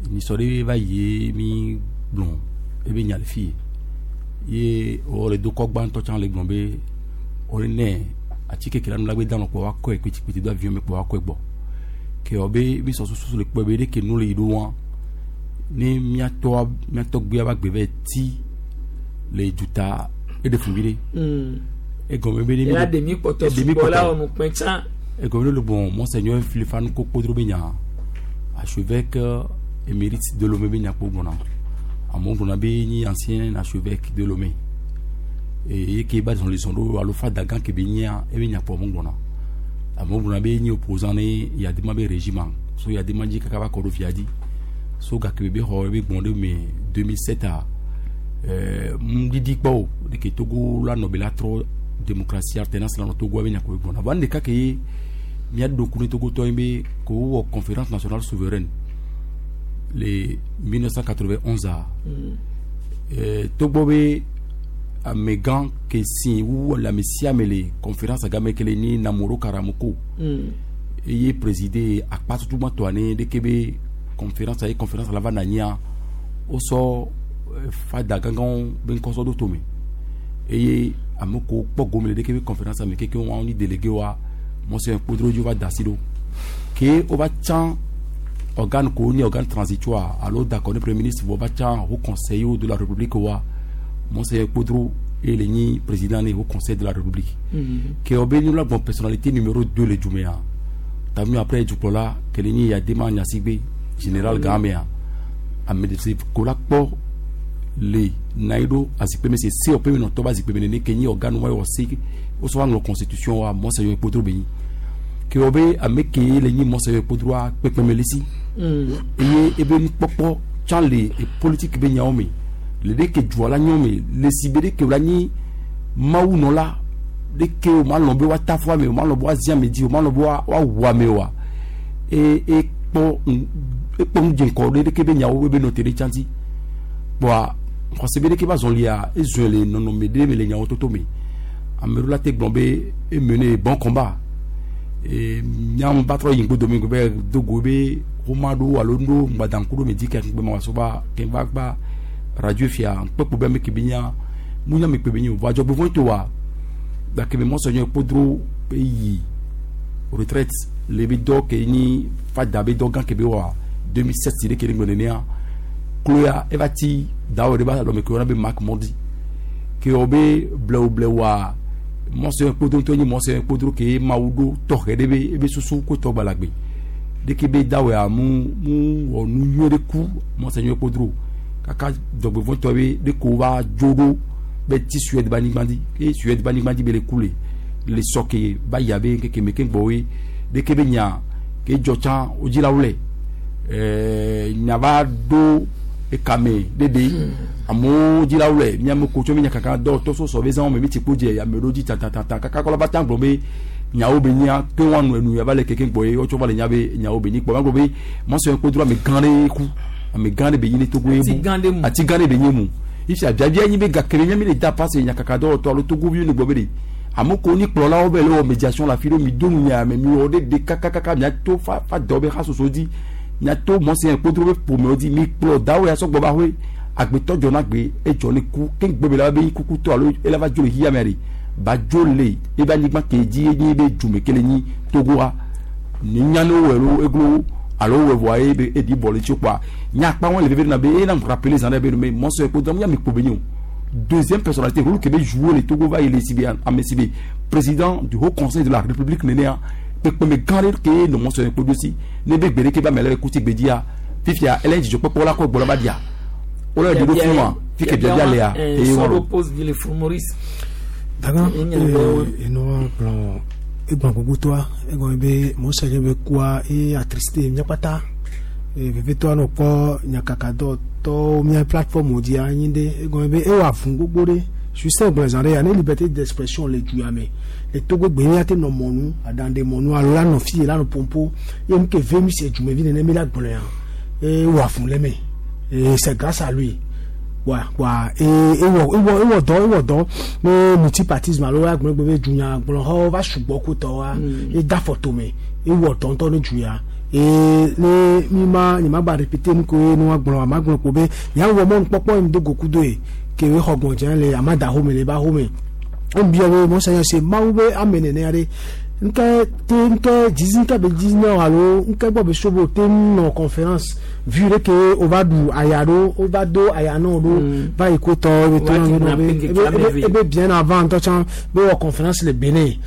Nisɔ ɖe va yi mi gblɔ ebe nya le fi ye wɔ le dokɔ gbãtɔ tsã le gblɔ be wole nɛ atike ke la nu la gbe danɔ kpɔ wa kɔe kpetikpeti do avion me kpɔ wa kɔe gbɔ ke wɔ be mi sɔ susu le kpɔe be ɖeke nu le yi ɖo wa ne miatɔ miatɔgbea ba gbe vɛ ti le duta eɖe fun vi ɖe egɔme be ne mi ela ɖe mi kpɔtɔ sugbɔ la wɔ nukpɛ tsã egɔme be le bon monseigneur Filifanu Kpodro be nya archevêque émérite de Lomé be nya kpo gbɔna amewo gblɔna be nyi ancien archevêque de Lomé eye ke ba zɔn le zɔn ɖo alo fada gã ke be nyia ebe nya kpo amewo gblɔna amewo gblɔna be nyi opposant ne Eyadema be régime so Eyadema dzi kaka va kɔ ɖo fia dzi so gake be xɔ ebe gbɔn ɖe me deux mille sept a ɛɛ ŋdidi kpɔ o ɖeke Togo la nɔ be la trɔ démocratie alternance la nɔ Togo ebe nya kpo gbɔna bon ɖeka ke ye míaɖo ŋku ne Togotɔ ye be ko wowɔ conférence nationale souveraine le mille neuf cent quatre-vingt-onze a ɛɛ togbɔ be amegã ke si wu le ame sia ame le conférence game ke le ni Namoro Karamoko eye présider akpa tutugbãtɔa ne ɖeke be conférence ye conférence la va na anyia wosɔ fada gãgãwo be ŋkɔ sɔ ɖo tome eye ame kewo kpɔ gome le ɖeke be conférence me keke wɔn ni délégué wa monseigneur Kpodro dzi va da asi ɖo ke wova tsã organe kewo nye organe transitoire alo d'accord ne premier ministre vɔ va tsã haut conseil de la république wa monseigneur Kpodro eye le nyi président ne haut conseil de la république ke wɔ be nyɔnu gbɔn personnalité numéro deux le dzumea tami après dukplɔla ke le nyi Eyadema Gnassingbé général gãmea ame ɖe ko la kpɔ le na yi ɖo azikpe me se se wɔƒe me nɔtɔ be azikpe me nene ke nyi organe wa wɔ se wosɔ va ŋlɔ constitution wa monseigneur Kpodro be nyi ke wɔ be ame ke le nyi monseigneur Kpodroa kpekpeme le si eye ebe nukpɔkpɔ tsã le politique be nyawo me le ɖe ke dua la nyɔ me le si be ɖe ke la nyi mawunɔla ɖe ke o ma lɔn be woata fɔ ame o ma lɔn be woazi ame dzi o ma lɔn be woawu ame oa e ekpɔ ekpɔ ŋudzeŋkɔ ɖe ɖeke be nyawo be nɔ te ɖe tsã dzi kpɔa xɔse be ɖeke ba zɔlia ezɔe le nɔnɔme ɖe me le nyawo toto me ame ɖewo la te gblɔ be emene bon combat e nyam ba trɔ yi ŋgbodo me be dogo be xoma ɖo alo ɖo ŋgbadaŋku ɖo me dzi ke ŋgbe ma so ba ke va gba radio fia ŋkpekpo be ame ke be nya mu nya me kpe be nyi o vɔ adzɔgbevɔ̃ to wa gake me monseigneur Kpodro be yi retraite le be dɔ ke nyi fada be dɔ gã ke be wɔa deux mille sept ɖe ke ɖe ŋgbe nenea kloya eva ti dawɔ ɖe ba lɔme ke wɔna be Marc Mondi ke wɔ be blewu blewua monseigneur Kpodro ŋutɔ nyi monseigneur Kpodro ke mawu ɖo tɔxɛ ɖe be ebe susu ko tɔ gbalagbe ɖeke be dawɔa mu mu wɔ nu nyuie ɖe ku monseigneur Kpodro kaka dzɔgbevɔ̃tɔ be ɖe ko va dzo ɖo be ti Suède ba anyigba dzi ke Suède ba anyigba dzi be le ku le le sɔ ke ba yi abe ŋkeke me ke gbɔwoe ɖeke be nya ke dzɔ tsã wo dzilawo le ɛɛ nya va ɖo ekame ɖeɖe amewo dzilawo le miame ko tso mi nya kaka dɔ tɔ sɔsɔ be zãwo me mi tsi kpo dze ame ɖewo dzi tatata kaka kɔlɔ va ta gblɔ be nyawo be nya ke wa nu enu yava le keke gbɔ ye wotsɔ va le nya be nyawo be nyi kpɔ va gblɔ be monseigneur Kpodro ame gã ɖe ku ame gã ɖe be nyi ne Togo ye mu ati gã ɖe be nyi mu ifi abiabia nyi be gake be nya mi le da passe nya kaka dɔwɔtɔ alo togoviwo ne gbɔ be de ame ko ni kplɔlawo be le wɔ médiation la fi ɖo mi do nu nya me mi wɔ ɖe de kakakaka miato fa fa dɔ be hasoso dzi miato monseigneur Kpodro be ƒomewo dzi mi kplɔ dawo ya sɔgbɔ ba hoe agbetɔ dzɔ na gbe edzɔ ne ku ke ŋgbe be la be kukutɔ alo ela va dzo le xixia mea ɖe ba dzo le ebe anyigba ke dzi ye be dzume ke le nyi Togoa ni nya ne wowɔe lo eglo alo wowɔe vɔa ye be eɖi bɔ le tsi kpɔa nya akpa wɔn le veve na be eye na rappeler zan ɖe be no monseigneur Kpodro mu ya mi kpo be nyi o deuxième personnalité rôle ke be jouer le Togo va yi le si be ame si be président du haut conseil de la république nenea kpekpeme gã ɖe ke nɔ monseigneur Kpodro si ne be gbe ɖeke ba me le kuti gbedzia fifia ele dzidzɔkpɔkpɔ la kɔ gbɔ la ba dia wole ɖi ɖo fún wa fi ke biabia lea eye wɔn. Sɔrɔ pose di le fún Maurice. Daga enua gblɔ egbɔn gbogbotoa egɔme be monseigneur be kua eye attristé mía kpata vevitɔa nɔ kpɔ nyakakadɔ tɔwo mía plateforme dzia anyi ɖe egɔme be ewɔ avu gbogbo ɖe Justin gblɔ zã ɖe ya ne liberté d'expression le dua me le Togo gbe mía te nɔ mɔnu aɖaŋɖe mɔnu alo la nɔ fi la nɔ pompo ye nu ke ve mi se dumevi nene mi la gblɔ ya ewɔ avu le me et c'est grâce à lui wa wa e ewɔ ewɔ ewɔ dɔ ewɔ dɔ ne multipartisme alo agblɔ gbe be dunya gblɔ xɔ va sugbɔ ko tɔ wa e da fɔ tome ewɔ tɔntɔn ne du ya ee ne mi ma nye ma gba répéter nu ko ye nua gblɔ ama gblɔ ko be miawɔ mɔnukpɔkpɔ yi mi do goku do ye ke we xɔ gbɔndze le amada home le ba home ebia be mɔsanya se mawu be ame nene aɖe nke te nke dzizi nke be dzizi na alo nke gbɔ be sobo te nɔ conférence vu ɖe ke wova ɖu aya ɖo wova do aya nɔ ɖo va yi ko tɔ ebe to na be ebe ebe bien avant ŋutɔ tsã be wɔ conférence le Benin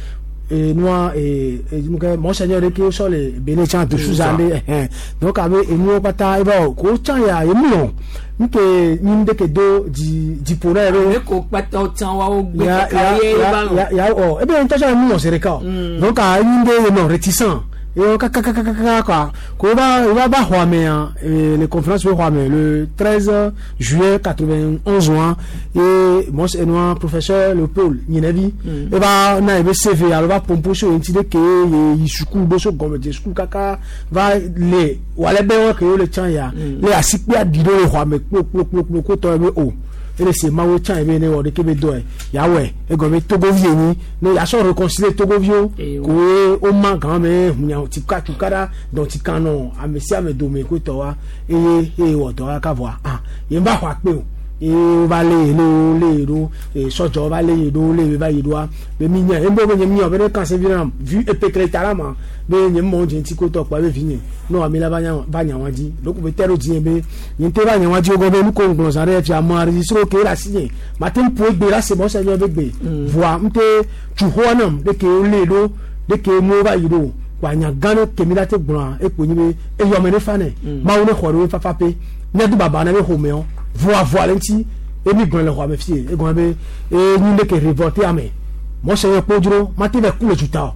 e nua e e mɔsanya ɖe ke wosɔ le Benin tsã de suza ɖe ɛhɛn donc abe enuwo kpata eba wɔ ko tsã ya emu lɔ nke nyi ɖe ke do dzi dziƒo na ye be. Ne ko kpata wo tsã wa wo gbe ya kaka ya ye ya ba lɔ. ya ya ɔ ebe ŋutɔ tsã emu lɔ zi ɖeka o donc a nyi ɖe ye nɔ réticent ye kakakakaka quoi ko va va va xɔ amea le conférence be xɔ ame le treize juillet quatre-vingt-onze wa ye mɔs enua professeur Léopold Ɲinɛvi eva na ebe C V alo va pompo so ŋuti ɖe ke ye yi suku ɖo so gɔmedze suku kaka va le wòale be wɔ ke wo le tsã ya le asikpe aɖi ɖo le xɔ ame kplokplokplokplo ko tɔ ebe o ele se mawo tsã ebe ne wɔ ɖeke be dɔe yawɔe egɔme togovi yenyi ne yasɔ réconcilier togoviwo koe wo ma gã me hunya tika tukara dɔn tika nɔ ame sia ame dome ko tɔ wa eye eye wɔ dɔ kaka vɔa ah yen va xɔ akpe o eye wova lé ye ɖo lé ye ɖo ee sɔdzɔ va lé ye ɖo lé ye va yi ɖoa be mi nye ebe be nye mi yɔ be ne kan se vi na vu epekele ta la ma be nye mɔ dze ŋuti ko tɔ kpɔ ebe vi nye ne wà mi la va nya va nya wa dzi lóko be tɛ ɖo dzi be nye ŋutɔ va nya wa dzi wo gɔ be nuko ŋgblɔ zã ɖe fia mɔ enregistré ke le asi nye ma te ŋu ƒo egbe la se mɔ se nye be gbe voa ŋute tsu xɔa nam ɖeke wo lé ɖo ɖeke nuwo va yi ɖo wa nya gã ɖe ke mi la te gblɔa ekpo nyi be eyɔme ne fa nɛ mawu ne xɔ ɖe wo fafa pe míado baba na be xɔmeɔ voa voa le ŋuti emi gblɔ le xɔa me fie egɔme be e nyi ɖe ke révolté ame mɔ se nye kpo dzro ma te vɛ ku le tuta o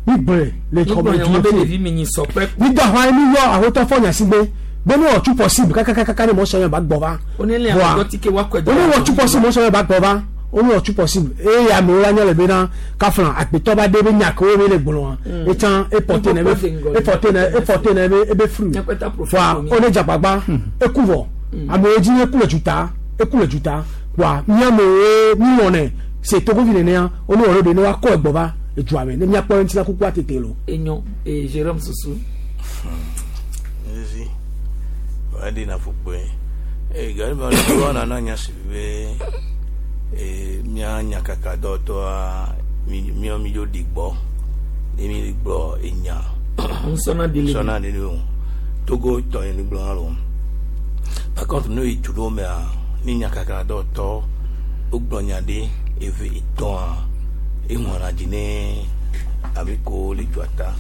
mi gblɔe le xɔme Nígbà du yẹn wọ́n fie bẹ lèvi mi nyi sọ pẹ́. mi da xɔa mi yɔ ahotɔ fɔ nyasigbe be ne wɔ tu possible kakakaka ne mɔ se nye ba gbɔ va Onílé àwọn ọ̀dọ́ tí ké wá kọ́ ẹ̀dọ́. one wɔ tu possible mɔ se nye ba gbɔ va one wɔ tu possible eye amewo la nye le bena kafla agbetɔ ba de be nya kewo be le gblɔa etsã eporte ne be eporte ne eporte ne be ebe fruit voa one dzagbagba eku vɔ amewo dzi eku le tuta eku le tuta voa miamewo mi wɔnɛ se togovi nenea one wɔ ɖo de ne woakɔ egbɔ va edua me ne miakpɔ ŋuti la kukua tete lo. Enyo ee Jérôme Susu. Ezi wadi na fukpe e gari ba lo na na nya si be e mia nya kaka do to a mi mi mi yo digbo ni mi digbo enya Nsɔna dele. sɔna dele o Togo tɔ ye ni gblɔ lo par contre no yi tu do me a ni nya kaka do tɔ o gblɔ nya ɖe eve etɔ̃ a ehɔn dzi ne ame ko le dzua ta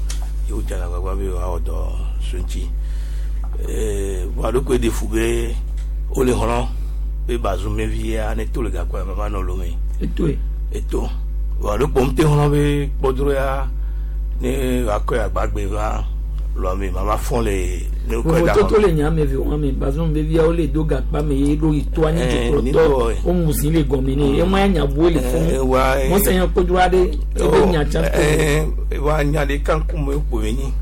ye wodze agbagba be woawɔ dɔ so ŋuti ee vɔa ɖokui ɖe fu be wole xlɔ be bazumevi ne to le gakua me va nɔ lome Eto ye. eto vɔa ɖokpo ŋute xlɔ be kpɔdro ya ne wòakɔe agbagbe va lɔme mama fɔn le ne wokɔe da Vovototo le nya ame eve wɔn me bazɔn vevi awo le do gakpa me ye ɖo yi to anyi Eh, dukplɔtɔ nitɔ, eh. wo mu zi le gɔme ne ema ya nya bu le Eh, wa, fún eh. mɔsɛ yẹn kpɔdro aɖe ebe nya tsa Eh, wa nya ɖeka ŋkume kpo be nyi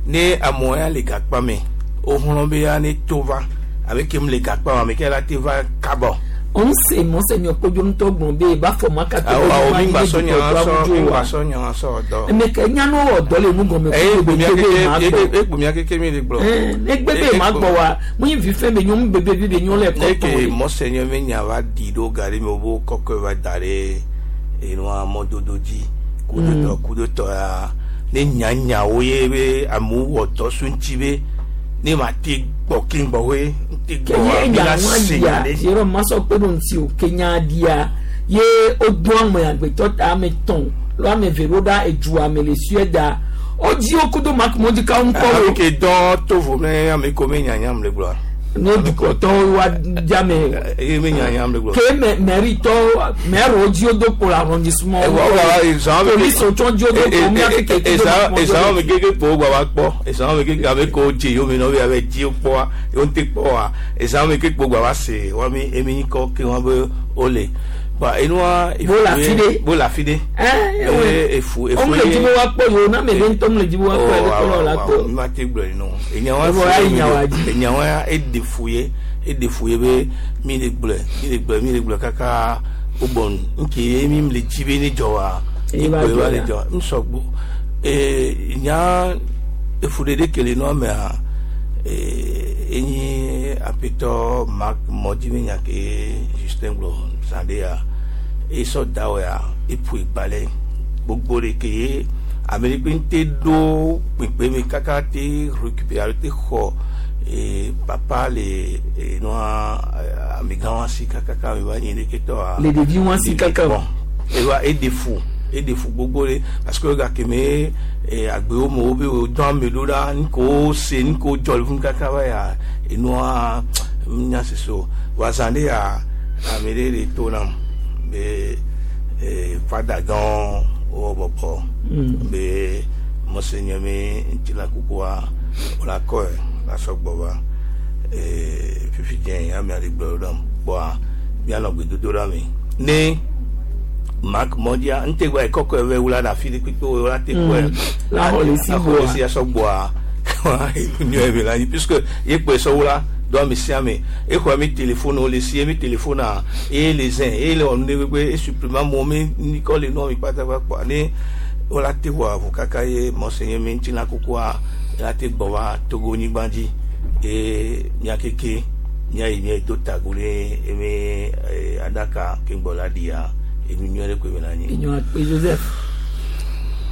ne amewo ya le gakpa me woxlɔ be ya ne to va abe kem le gakpa me ame ke la te va kabɔ. On se mɔsɛ yẹn kpɔdro ŋutɔ gblɔ be eba fɔ ma kata Awo awo mi gba sɔ nya sɔ mi gba sɔ nya sɔ dɔ. Emeke nyanu wɔ dɔ le nu gɔme Eye kó ekpo mia be keke ma gbɔ ekpo mia keke mi le gblɔ. egbe be ma gbɔ wa mo yin vi fɛn be nyɔ mu bebe bi be nyɔ le Ne ke kɔkɔ mɔsɛ nye me nya va di ɖo ga ɖe me wo kɔkɔe va da ɖe enua mɔdodo dzi kudotɔ kudotɔ ya ne nyanyawo ye be amewo wɔ dɔ so ŋuti be ne ma te gbɔ keŋgbɔwoe te gbɔ wa kenye mi nya la ŋua se dia nya ɖe. Jérôme masɔ kpe ɖo ŋuti o kenya dia ye wodo ame agbetɔ ta ame tɔn lɔ ame eve ɖo ɖa edua me le Suède wodzi wo kudo makumɔdzikawo ŋkɔ Ame wo ke dɔ to vo ne ame ko me nyanyam le gblɔa. ne dukplɔtɔwo wa diame Eye me nyanyam le gblɔ. ke mɛ mɛritɔwo mɛriwo dzi wo do kpo le arrondissement Ewa wa ezan me polisiwo tsɔ dzi wo do kpo mía keke kudo ezan ezan me makumɔdzikawo. keke kpo gba va kpɔ ezan me keke ame ko dze yome nɔvi abe dzi wo kpɔa yewo ŋute kpɔa ezan me keke kpo gba va se wa mi emi kɔ ke wa be wole ba enua Bo le afi ɖe. bo le afi ɖe Ɛ, Eye efu efu wo le dzi be woakpɔ yewo na ame ɖe ŋutɔ le dzi be woakpɔ ye ɖe kplɔ la kpɔ. mi ma te gblɔ nɔ enyawa Evɔ ayi nyawa dzi. enyawa ya eɖe fu ye eɖe fu ye be mi le gblɔe mi le gblɔe mi le gblɔe kaka wo bɔ nu nke ye mi le dzi be ne dzɔ wa Eye va ekpoe va dzɔ le ya. dzɔ ŋusɔgbo E nya efuɖeɖe ke le nua mea e enyi aƒetɔ Marc Mɔdzi nya ke Justin gblɔ zã ɖe ya esɔ da wɔ ya eƒo egbalẽ gbogbo ɖe ke ye ame ɖe kpe ŋute ɖo kpekpe me kaka te récupérer alo te xɔ e papa le e nua amegã wa si kakaka me va nyi ɖeke tɔa. Le ɖevi wa si kaka. Bon ewa eɖe fu eɖe fu gbogbo ɖe parce que gake me e agbewo me wo be wo dɔn ame ɖo ɖa nuko se nuko dzɔ le funu kaka va ya enua nya sese o wa zã ɖe ya ame ɖe le to nam be e fada gã wo bɔbɔ be monseigneur me ŋutilã kukua wo la kɔe la sɔ gbɔ va e fifi dze ame aɖe gblɔ ɖam kpɔa mianɔ gbedodo ɖa me ne Marc Mondia nte gba ekɔkɔ eve wula ɖe afi ɖe kpekpe wo la te kɔe La xɔ le si la xɔ le si asɔ gbɔa nyɔ eve la nyi puisque ye kpɔe sɔ wula do ame sia ame exɔ mi téléphone wo le si ye mi téléphone a ye le zɛn ye le wɔ nu ɖe kpekpe e suppliment mo mi nikɔ le nua mi kpata kpɔ ne wo la te wɔ avu kaka ye monseigneur mi ŋutilã kukua la te gbɔ va Togo nyigba dzi ye mia keke mia yi mia do tago ɖe eme aɖaka ke gbɔ la ɖia enu nyuie ɖe koe be na nyi. Enyo akpe Joseph.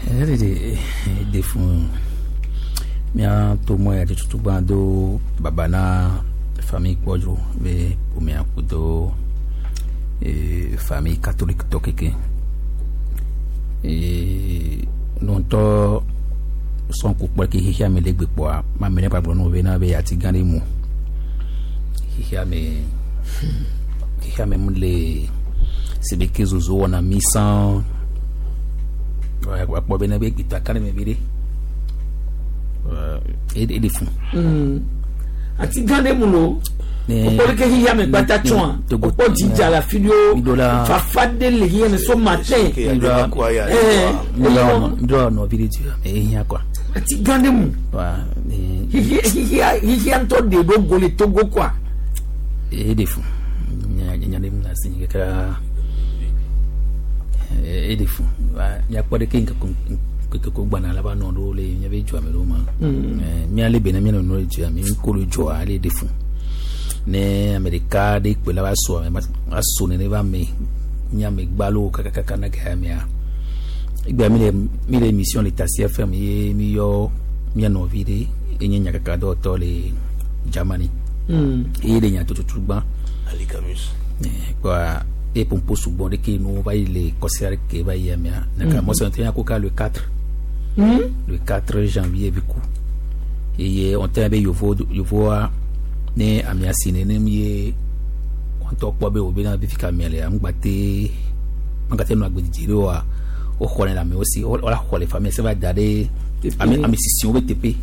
Ɛdede de fun mía to mɔ ya tutu gbã do baba na famille kpɔdzo be ƒomea kudo e, famille catholique tɔ keke e, nuntɔ sɔn ko kpɔ ke xexea me le gbe kpɔa ma me ne gbagblɔ no be na be ati gã ɖe mu xexea me xexea me mu le sebe ke zozo wɔna mi sãn akpɔ be ne be gbetɔ aka ɖe me vi ɖe e de fun. Ati gã ɖe mu lo okpɔ ɖe ke xexea me kpata tsɔa okpɔ dzidza le afi ɖewo fafa ɖe le xexea me so matin. Ŋdɔ nɔvi ɖe dzi me ehiã kɔa. Ati gã ɖe mu xexea xexea ŋutɔ ɖe ɖo go le Togo kɔa. E de fun nya nya ɖe mu le asi kaka e de fun miakpɔ ɖe ke ŋkeke ko gbana la va nɔ ɖo le miabe dzua me ɖo ma miale be na mia nɔ le dzua mi ko le dzɔa le de fun ne ame ɖeka ɖe kpe la va so ame va so nene va me miame gbalo kakakaka na ke amea egbea mi le mi le émission le Tassi F M ye mi yɔ mia nɔvi ɖe enye nyakaka dɔwɔtɔ le Germany eye le nyatototo gbã Ali Camus. Kpɔa e pompo sugbɔ ɖe ke nu va yi le kɔsia ɖe ke va yi amea naka mɔsɔn tɛ ko ka le quatre le quatre janvier bi ku eye on tɛ be yovo yovoa ne amea si nenem ye wɔntɔ kpɔ be wo be na be fi ka amea le ŋgba te ŋgba te nɔ agbedidi ɖe oa woxɔ ne le amewo si wo la xɔ le famille se va da ɖe ame ame sisiwo be teƒe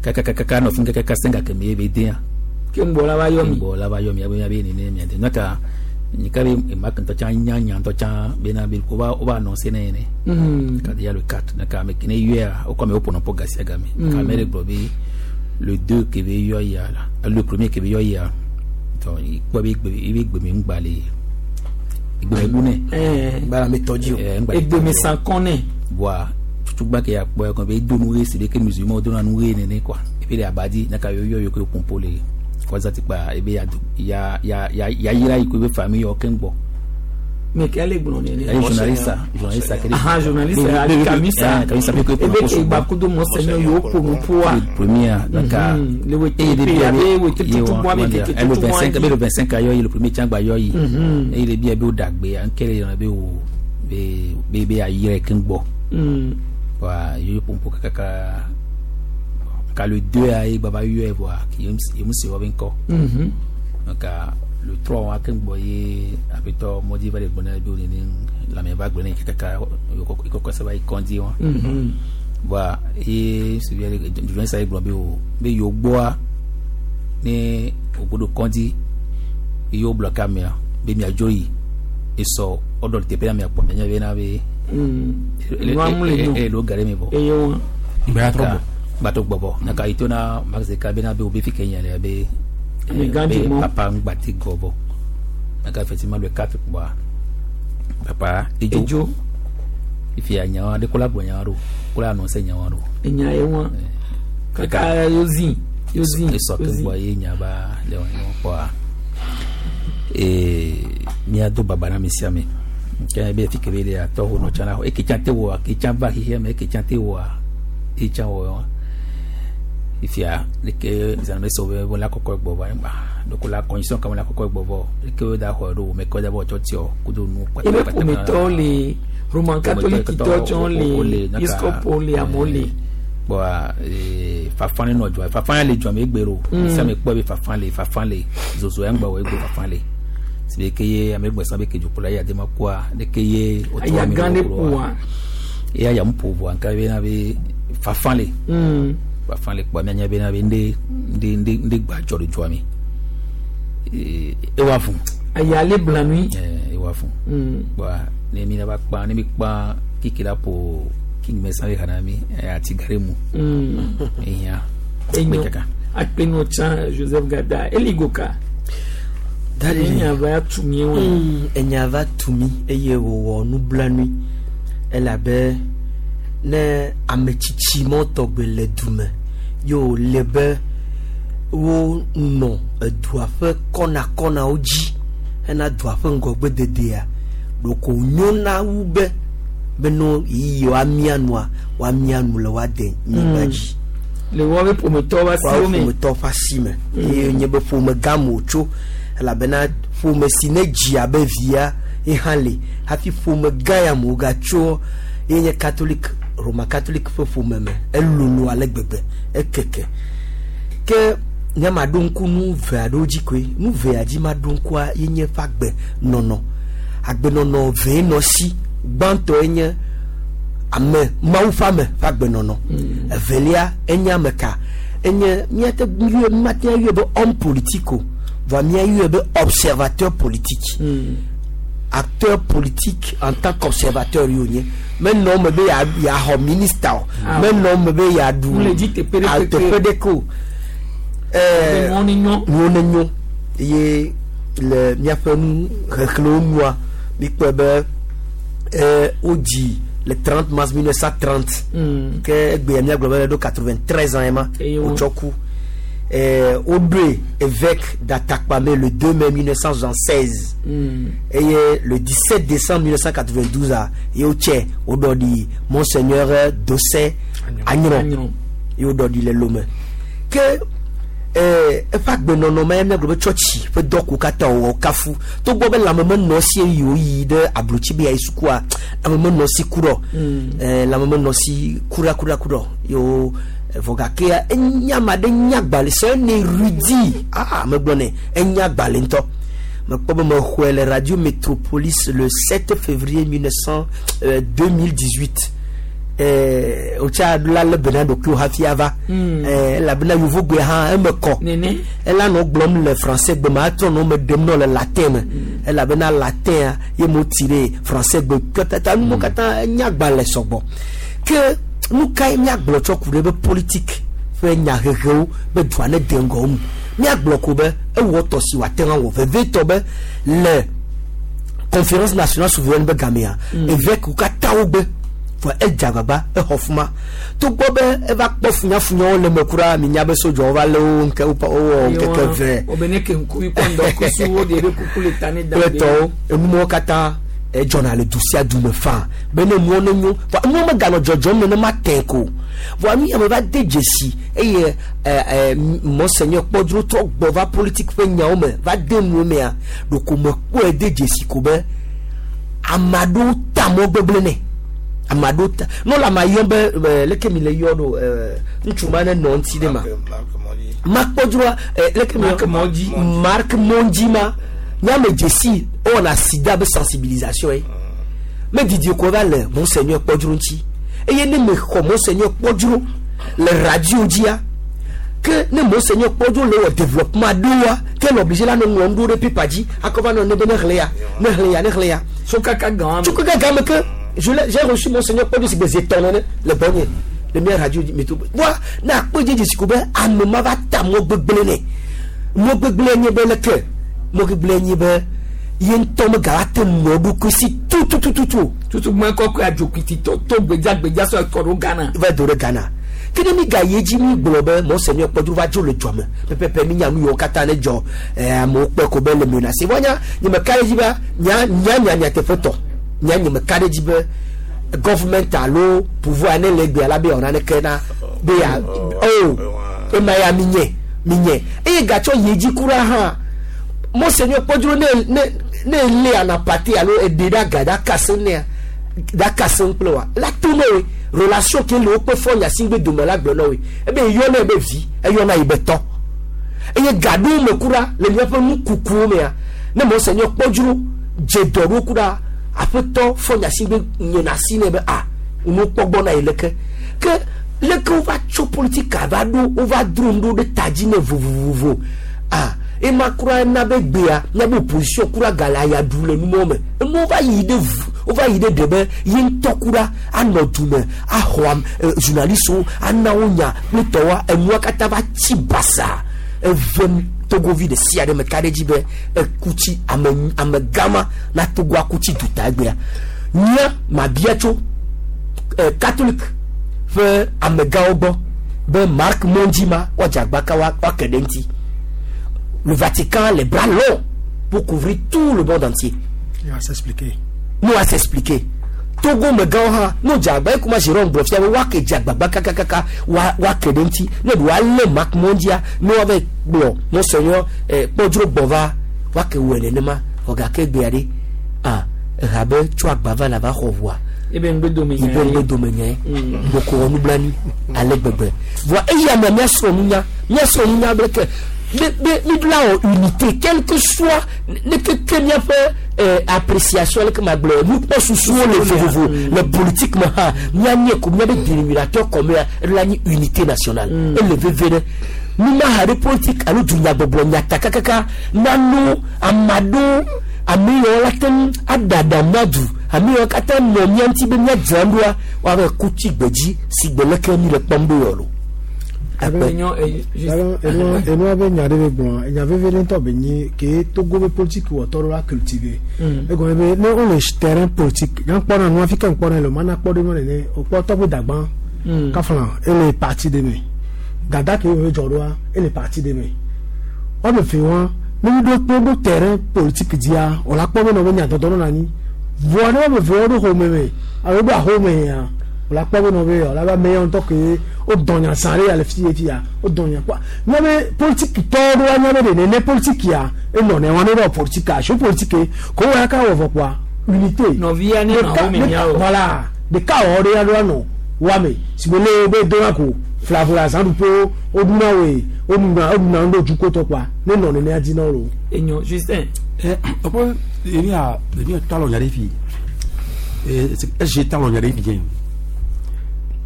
kakakaka nɔ fi kakaka se gake me ye be dea ke ŋgbɔ la va yɔ mi ŋgbɔ la va yɔ mi abe abe nene mia de naka nika be ema kentɔ tsã nya nya ŋutɔ tsã bena be ko va wo va annoncer ne yene ka déjà le quatre naka ame kene yɔa wo kɔ ame wo ƒona ƒo gasia game ka ame ɖe gblɔ be le deux ke be yɔ ya la le premier ke be yɔ ya donc ikpɔ be gbe ebe gbeme ŋgba le egbeme bu nɛ gbala me tɔ dzi o egbeme sankɔn nɛ voa tutugba ke ya kpɔ kɔ be do nu ɣe si ɖe ke musulman do na nu ɣe nene quoi ebi le abadi naka yɔ yɔ yɔ ke pompo le kɔza ti kpa ebe ya ya ya ya ya yira yi ko ebe famille yɔ keŋ gbɔ. Mais quel est le nene? Ayi journaliste journaliste kele. Ah journaliste Ali Kamisa. Kamisa pe ko ebe ke gbakudo monseigneur yo pono poa. Premier donc le wete e pe abe wete tutu bɔ ame keke le vingt-cinq le vingt-cinq ayɔ yi le premier tsangba yɔ yi. Eye le bi ebe wo dagbe ankele yɔrɔ be wo be be be ayi yɛrɛ keŋ gbɔ. Wa yo pompo kaka ka le deux ayi baba yɔ voa yemu se wɔ be ŋkɔ. Donc le trois wa keŋ gbɔ ye aƒetɔ mɔdzi va le gbɔ na be nene lãme va gblẽ ne kaka ikɔkɔ se va yi kɔndzi wa. Voa ye suvi aɖe journaliste aɖe gblɔ be o be yewo gbɔa ne wògo ɖo kɔndzi ye wo bloqué amea be miadzo yi esɔ ɔɖɔ le teƒe na miakpɔ mianya be na be eye lo ga ɖe mi vɔ. Eye wa. Gbatɔ gbɔbɔ naka yi to na Max Zeka be na be wo be fi ke nya le be. Papa ngbati gobo naka effectivement le quatre quoi papa ejo ifi anya de kola gbonya ro Kura annoncé nya wa do. Enya ye wa. Kaka yozi yozi. Esɔ ke gbɔ ye nya ba le wa ɲɔgɔn kpɔa. Ee míado baba na ame sia ame. Ke be fi ke be le atɔ ho nɔ tsã la eke tsã te wɔa ke tsã va xexea me eke tsã te wɔa e tsã wɔ wa. Ifia leke zan me so be la kɔkɔ gbɔ va gba donc la condition kama la kɔkɔ gbɔ vɔ leke wo da xɔ ɖo me kɔ da bɔ tsɔ tiɔ kudo nu kpata kpata. Ebe ƒometɔwo le Roman catholique tɔ tsɔ le episcopo le amewo le. Bɔn fafa ne nɔ dzɔ fafa ya le dzɔ me egbe ɖo sia me kpɔ be fafa le fafa le zozo ya ŋgbɔ wɔ egbe fafa le si be ke ye ame gbɛsã be ke dzokplɔ ya de ma kua leke ye o tɔ ame ɖo wa eya ya ŋu ƒo vɔa nka be na be fafa le fafa le kpɔ mianya be na be ŋɖe ŋɖe ŋɖe ŋɖe gba dzɔ le dzɔa me ewa fún. Aya le blanui. Ewa fún. Bɔn ne mi na ba kpa ne mi kpa kiki la ƒo king mɛsan le xana mi ati gare mu. Eya enyo akpenu tsã Joseph Gada eligoka. Enya va tumi wo. Enya va tumi eye wòwɔ nublanui elabe ne ame tsitsi mɔ tɔgbe le dume ye wòle be wonɔ edua ƒe kɔnakɔnawo dzi hena dua ƒe ŋgɔgbededea ɖeko nyona wu be beno yiyi woamia nua woamia nu le woade nyigba dzi. Le woabe ƒometɔwo ƒe asiwo me. Ƒometɔwo ƒe asi me eye nye be ƒome gã me wòtso elabena ƒome si ne dzi abe via ye hã le hafi ƒome gã ya me wògatso ye nye catholique Roma catholique ƒe ƒome me elolo ale gbegbe ekeke ke nye ma ɖo ŋku nu ve aɖewo dzi koe nu vea dzi ma ɖo ŋkua ye nye ƒe agbenɔnɔ agbenɔnɔ vee nɔ si gbãtɔe nye ame Mawu ƒe ame ƒe agbenɔnɔ evelia enye ame ka enye míate ŋu míate ŋu be homme politique o voa míayɔe be observateur politique acteur politique en tant qu'observateur ye wònye menɔ me be yeaxɔ ministre o menɔ me be yeaɖu teƒe ɖeke o nuwo ne nyo eye le míaƒe nu xexlẽwo nua míkpɔe be wodzi le trente mars mille neuf cent trente ke egbea míagblɔ be ɖo quatre-vingt-treize ans ema wotsɔ ku. Woɖoe évêque d'Atakpamé le deux mai mille neuf cent soixante-seize mm. et le dix-sept décembre mille neuf cent quatre-vingt-douze ye wotse woɖɔ ɖi Monseigneur Dossé Agnon ye woɖɔ ɖi le Lomé ke eƒe agbenɔnɔ ma míagblɔ be tsɔtsi ƒe dɔko katã wòwɔ kafu togbɔ be lãme menɔ si eye wòyi ɖe ablotsi be yeayi sukua lãme menɔ si kuɖɔ lãme menɔ si kuɖakuɖakuɖɔ yewo vɔ gakea enya ame aɖe nya agbalẽ c'est un érudit ah megblɔ nɛ enya agbalẽ ŋutɔ mekpɔ be mexɔe le Radio Métropolis le sept février mille neuf cent deux mille dix-huit wotsa la lé bena ɖokuiwo hafi ava elabena yovogbe hã eme kɔ ela nɔ gblɔm le français gbe me atrɔ nɔ me ɖem nɔ le latin me elabena latin ye mo ti ɖe français gbe katã nuwo katã enya agbalẽ sɔgbɔ ke nu kae míagblɔ tsɔ ku ɖe be politique ƒe nyahehewo be dua ne de ŋgɔ ŋu míagblɔ ko be ewɔ tɔ si wòate ŋu awɔ vevietɔ be le conférence nationale souveraine be gamea évêque katã wo gbe vɔ edze agbagba exɔ fuma togbɔ be eva kpɔ funyafunyawo le me kura minya be sodzɔwo va lé wo ŋke wowɔ ŋkeke ve kple tɔwo enumɔwo katã edzɔna le du sia du me faa be ne nuwo ne nyo vɔ nuwo meganɔ dzɔdzɔm nenema tẽ ko vɔ nu ya me va de dzesi eye ɛ ɛ Monseigneur Kpɔdzro trɔ gbɔ va politique ƒe nyawo me va de nuwo mea ɖeko mekpɔe de dzesi ko be ame aɖewo ta mɔ gbegblẽ nɛ ame aɖewo ta nɔ la ma yɔ be ɛ leke mi le yɔ ɖo ɛ ŋutsu ma ne nɔ ŋuti ɖe ma Makpɔdzroa ɛ leke mi yɔ Marc Mondji ma nyame dzesi wowɔna sida be sensibilisation ye me didi ko va le Monseigneur Kpɔdzro ŋuti eye ne mexɔ Monseigneur Kpɔdzro le radio dzia ke ne Monseigneur Kpɔdzro le wɔ développement ɖoa ke le obligé la ne ŋlɔ nu ɖo ɖe paper dzi akɔ va nɔ ne be ne xlẽ ya ne xlẽ ya ne xlẽ ya tso kaka gã tso kaka gã me ke je l'ai j'ai reçu Monseigneur Kpɔdzro si gbe zi etɔ̃ nene le gbɔnye le mia radio métro voa ne akpɔ dze dzesi ko be ame ma va ta mɔ gbegblẽ nɛ mɔ gbegblẽ nye be leke mɔ gbegblẽ nye be ye ŋutɔ megava te nɔ ɖokui si tout Tututututu. Tutugbɔn kɔkɔe adzokiti to to gbedzagbedza sɔ kɔ ɖo Ghana. Va do ɖe Ghana. Ke ne mi ga yi edzi mi gblɔ be monseigneur Kpɔdro va dzo le dzɔ me pɛpɛpɛ mi nya nu yiwo katã ne dzɔ ɛɛ amewo kpɔe ko be le menacé vɔ nya nye me ka ɖe edzi be nya nya nya nyateƒe tɔ nya nye me ka ɖe edzi be government alo pouvoir ne le egbea la be yeawɔ naneke na be ya o ema ya mi nye mi nye eye gatsɔ yi edzi kura hã monseigneur Kpɔdro ne ne ne ele anapate alo eɖe ɖe aga ɖe akase nea ɖe akase kple wa la to ne woe relation ke le wo kpe fɔ nyasigbe dome la gblɔ na woe ebe eyɔ ne be vi eyɔ na yi be tɔ eye gaɖewo me kura le míaƒe nukukuwo mea ne monseigneur Kpɔdro dze dɔ ɖo kura aƒetɔ fɔ nyasigbe nyena asi nɛ be a nu kpɔgbɔ na yi leke ke leke wova tso politika va ɖo wova dro nu ɖo ɖe ta dzi ne vovovovo a ema kura na be gbea miabe opposition kura gale aya ɖu le numɔ me enuwo va yi ɖe vu wova yi ɖe ɖe be ye ŋutɔ kura anɔ du me axɔ am e, journalistewo ana wo nya kple tɔwoa enua katã va tsi basa eve togovi ɖe sia ɖe me ka ɖe dzi be ekutsi ame ame gama na togo akutsi duta egbea nya mabia tso eh, catholique ƒe amegãwo gbɔ be Marc Mondji ma woadze agbaka wa woake ɖe ŋuti le Vatican a les bras longs pour couvrir tout le monde entier. Il va s'expliquer. Nous à s'expliquer. Togo megãwo hã ne wodze agba ekuma Jérôme gblɔ fia be woake dze agbagba kakakaka wa woake ɖe ŋuti ne ɖe woalé Marc Mondia ne woava gblɔ monseigneur eh, Kpɔdro gbɔ va woake wɔe nenema vɔ gake gbea ɖe ah eha be tso agba va la va xɔ ʋua ebe ŋgbedome nya ibe ŋgbedome nya ye boko wɔ nublanui ale gbegbe voa eya mea míasrɔ̃ nunya míasrɔ̃ nunya be ke be be mi la wɔ unité quel que soit ne keke míaƒe eh, appréciation leke ma gblɔ nukpɔsusuwo le vovovo le politique me hã míanye ko míabe dénominateur commun eɖo la nyi unité nationale ele veve ɖe numaha ɖe politique alo dunyagbɔgblɔ nyatakakaka nano ame aɖewo ame yiwo la te ŋu aɖaɖa mía du ame yiwo katã nɔ mía ŋuti be míadzra ɖoa woava ku tsi gbedzi si gbe leke mi le kpɔm ɖo yɔ lo. Enua enua be nya ɖe be gblɔ enya veve ɖe ŋutɔ be nyi ke Togo be politique wɔtɔ ɖo la cultiver. Egɔme be ne wole terrain politique nya kpɔna nua fi ke ŋkpɔna le o mana kpɔ ɖe nua nene o kpɔ tɔgbe dagbã kafla ele parti ɖe me dada ke wo dzɔ ɖoa ele parti ɖe me wɔme fe wa ne mi ɖo ne ɖo terrain politique dzia o la kpɔ be nɔ be nya dɔdɔ nɔna anyi vɔa ne wɔme ve wo ɖo xɔme me alo ɖo axome ya o la kpɔ be nɔ be o la be ame ya ŋutɔ ke o dɔn nya san ɖe ya le fi ye fi ya o dɔn nya kpɔ nya be politique tɔwo ɖo wa nya be ɖe nene politique ya enɔ ne wa ne ɖɔ politique a so politique ko wa ya ka wɔ vɔ kpoa unité nɔvia ne nɔ axome mia o voilà ɖeka wɔ ɖe ya ɖo anɔ wame si be le be dona ko flavola zãɖuƒewo woɖuna woe woɖuna woɖuna nu ɖo dzukotɔ kpoa ne nɔ nenea dzi na wo lo. enyo Justin. ɛ ɔkpɔ emi a emi a tɔ alɔ nya ɖe fi ɛ SG tɔ alɔ nya ɖe fi dze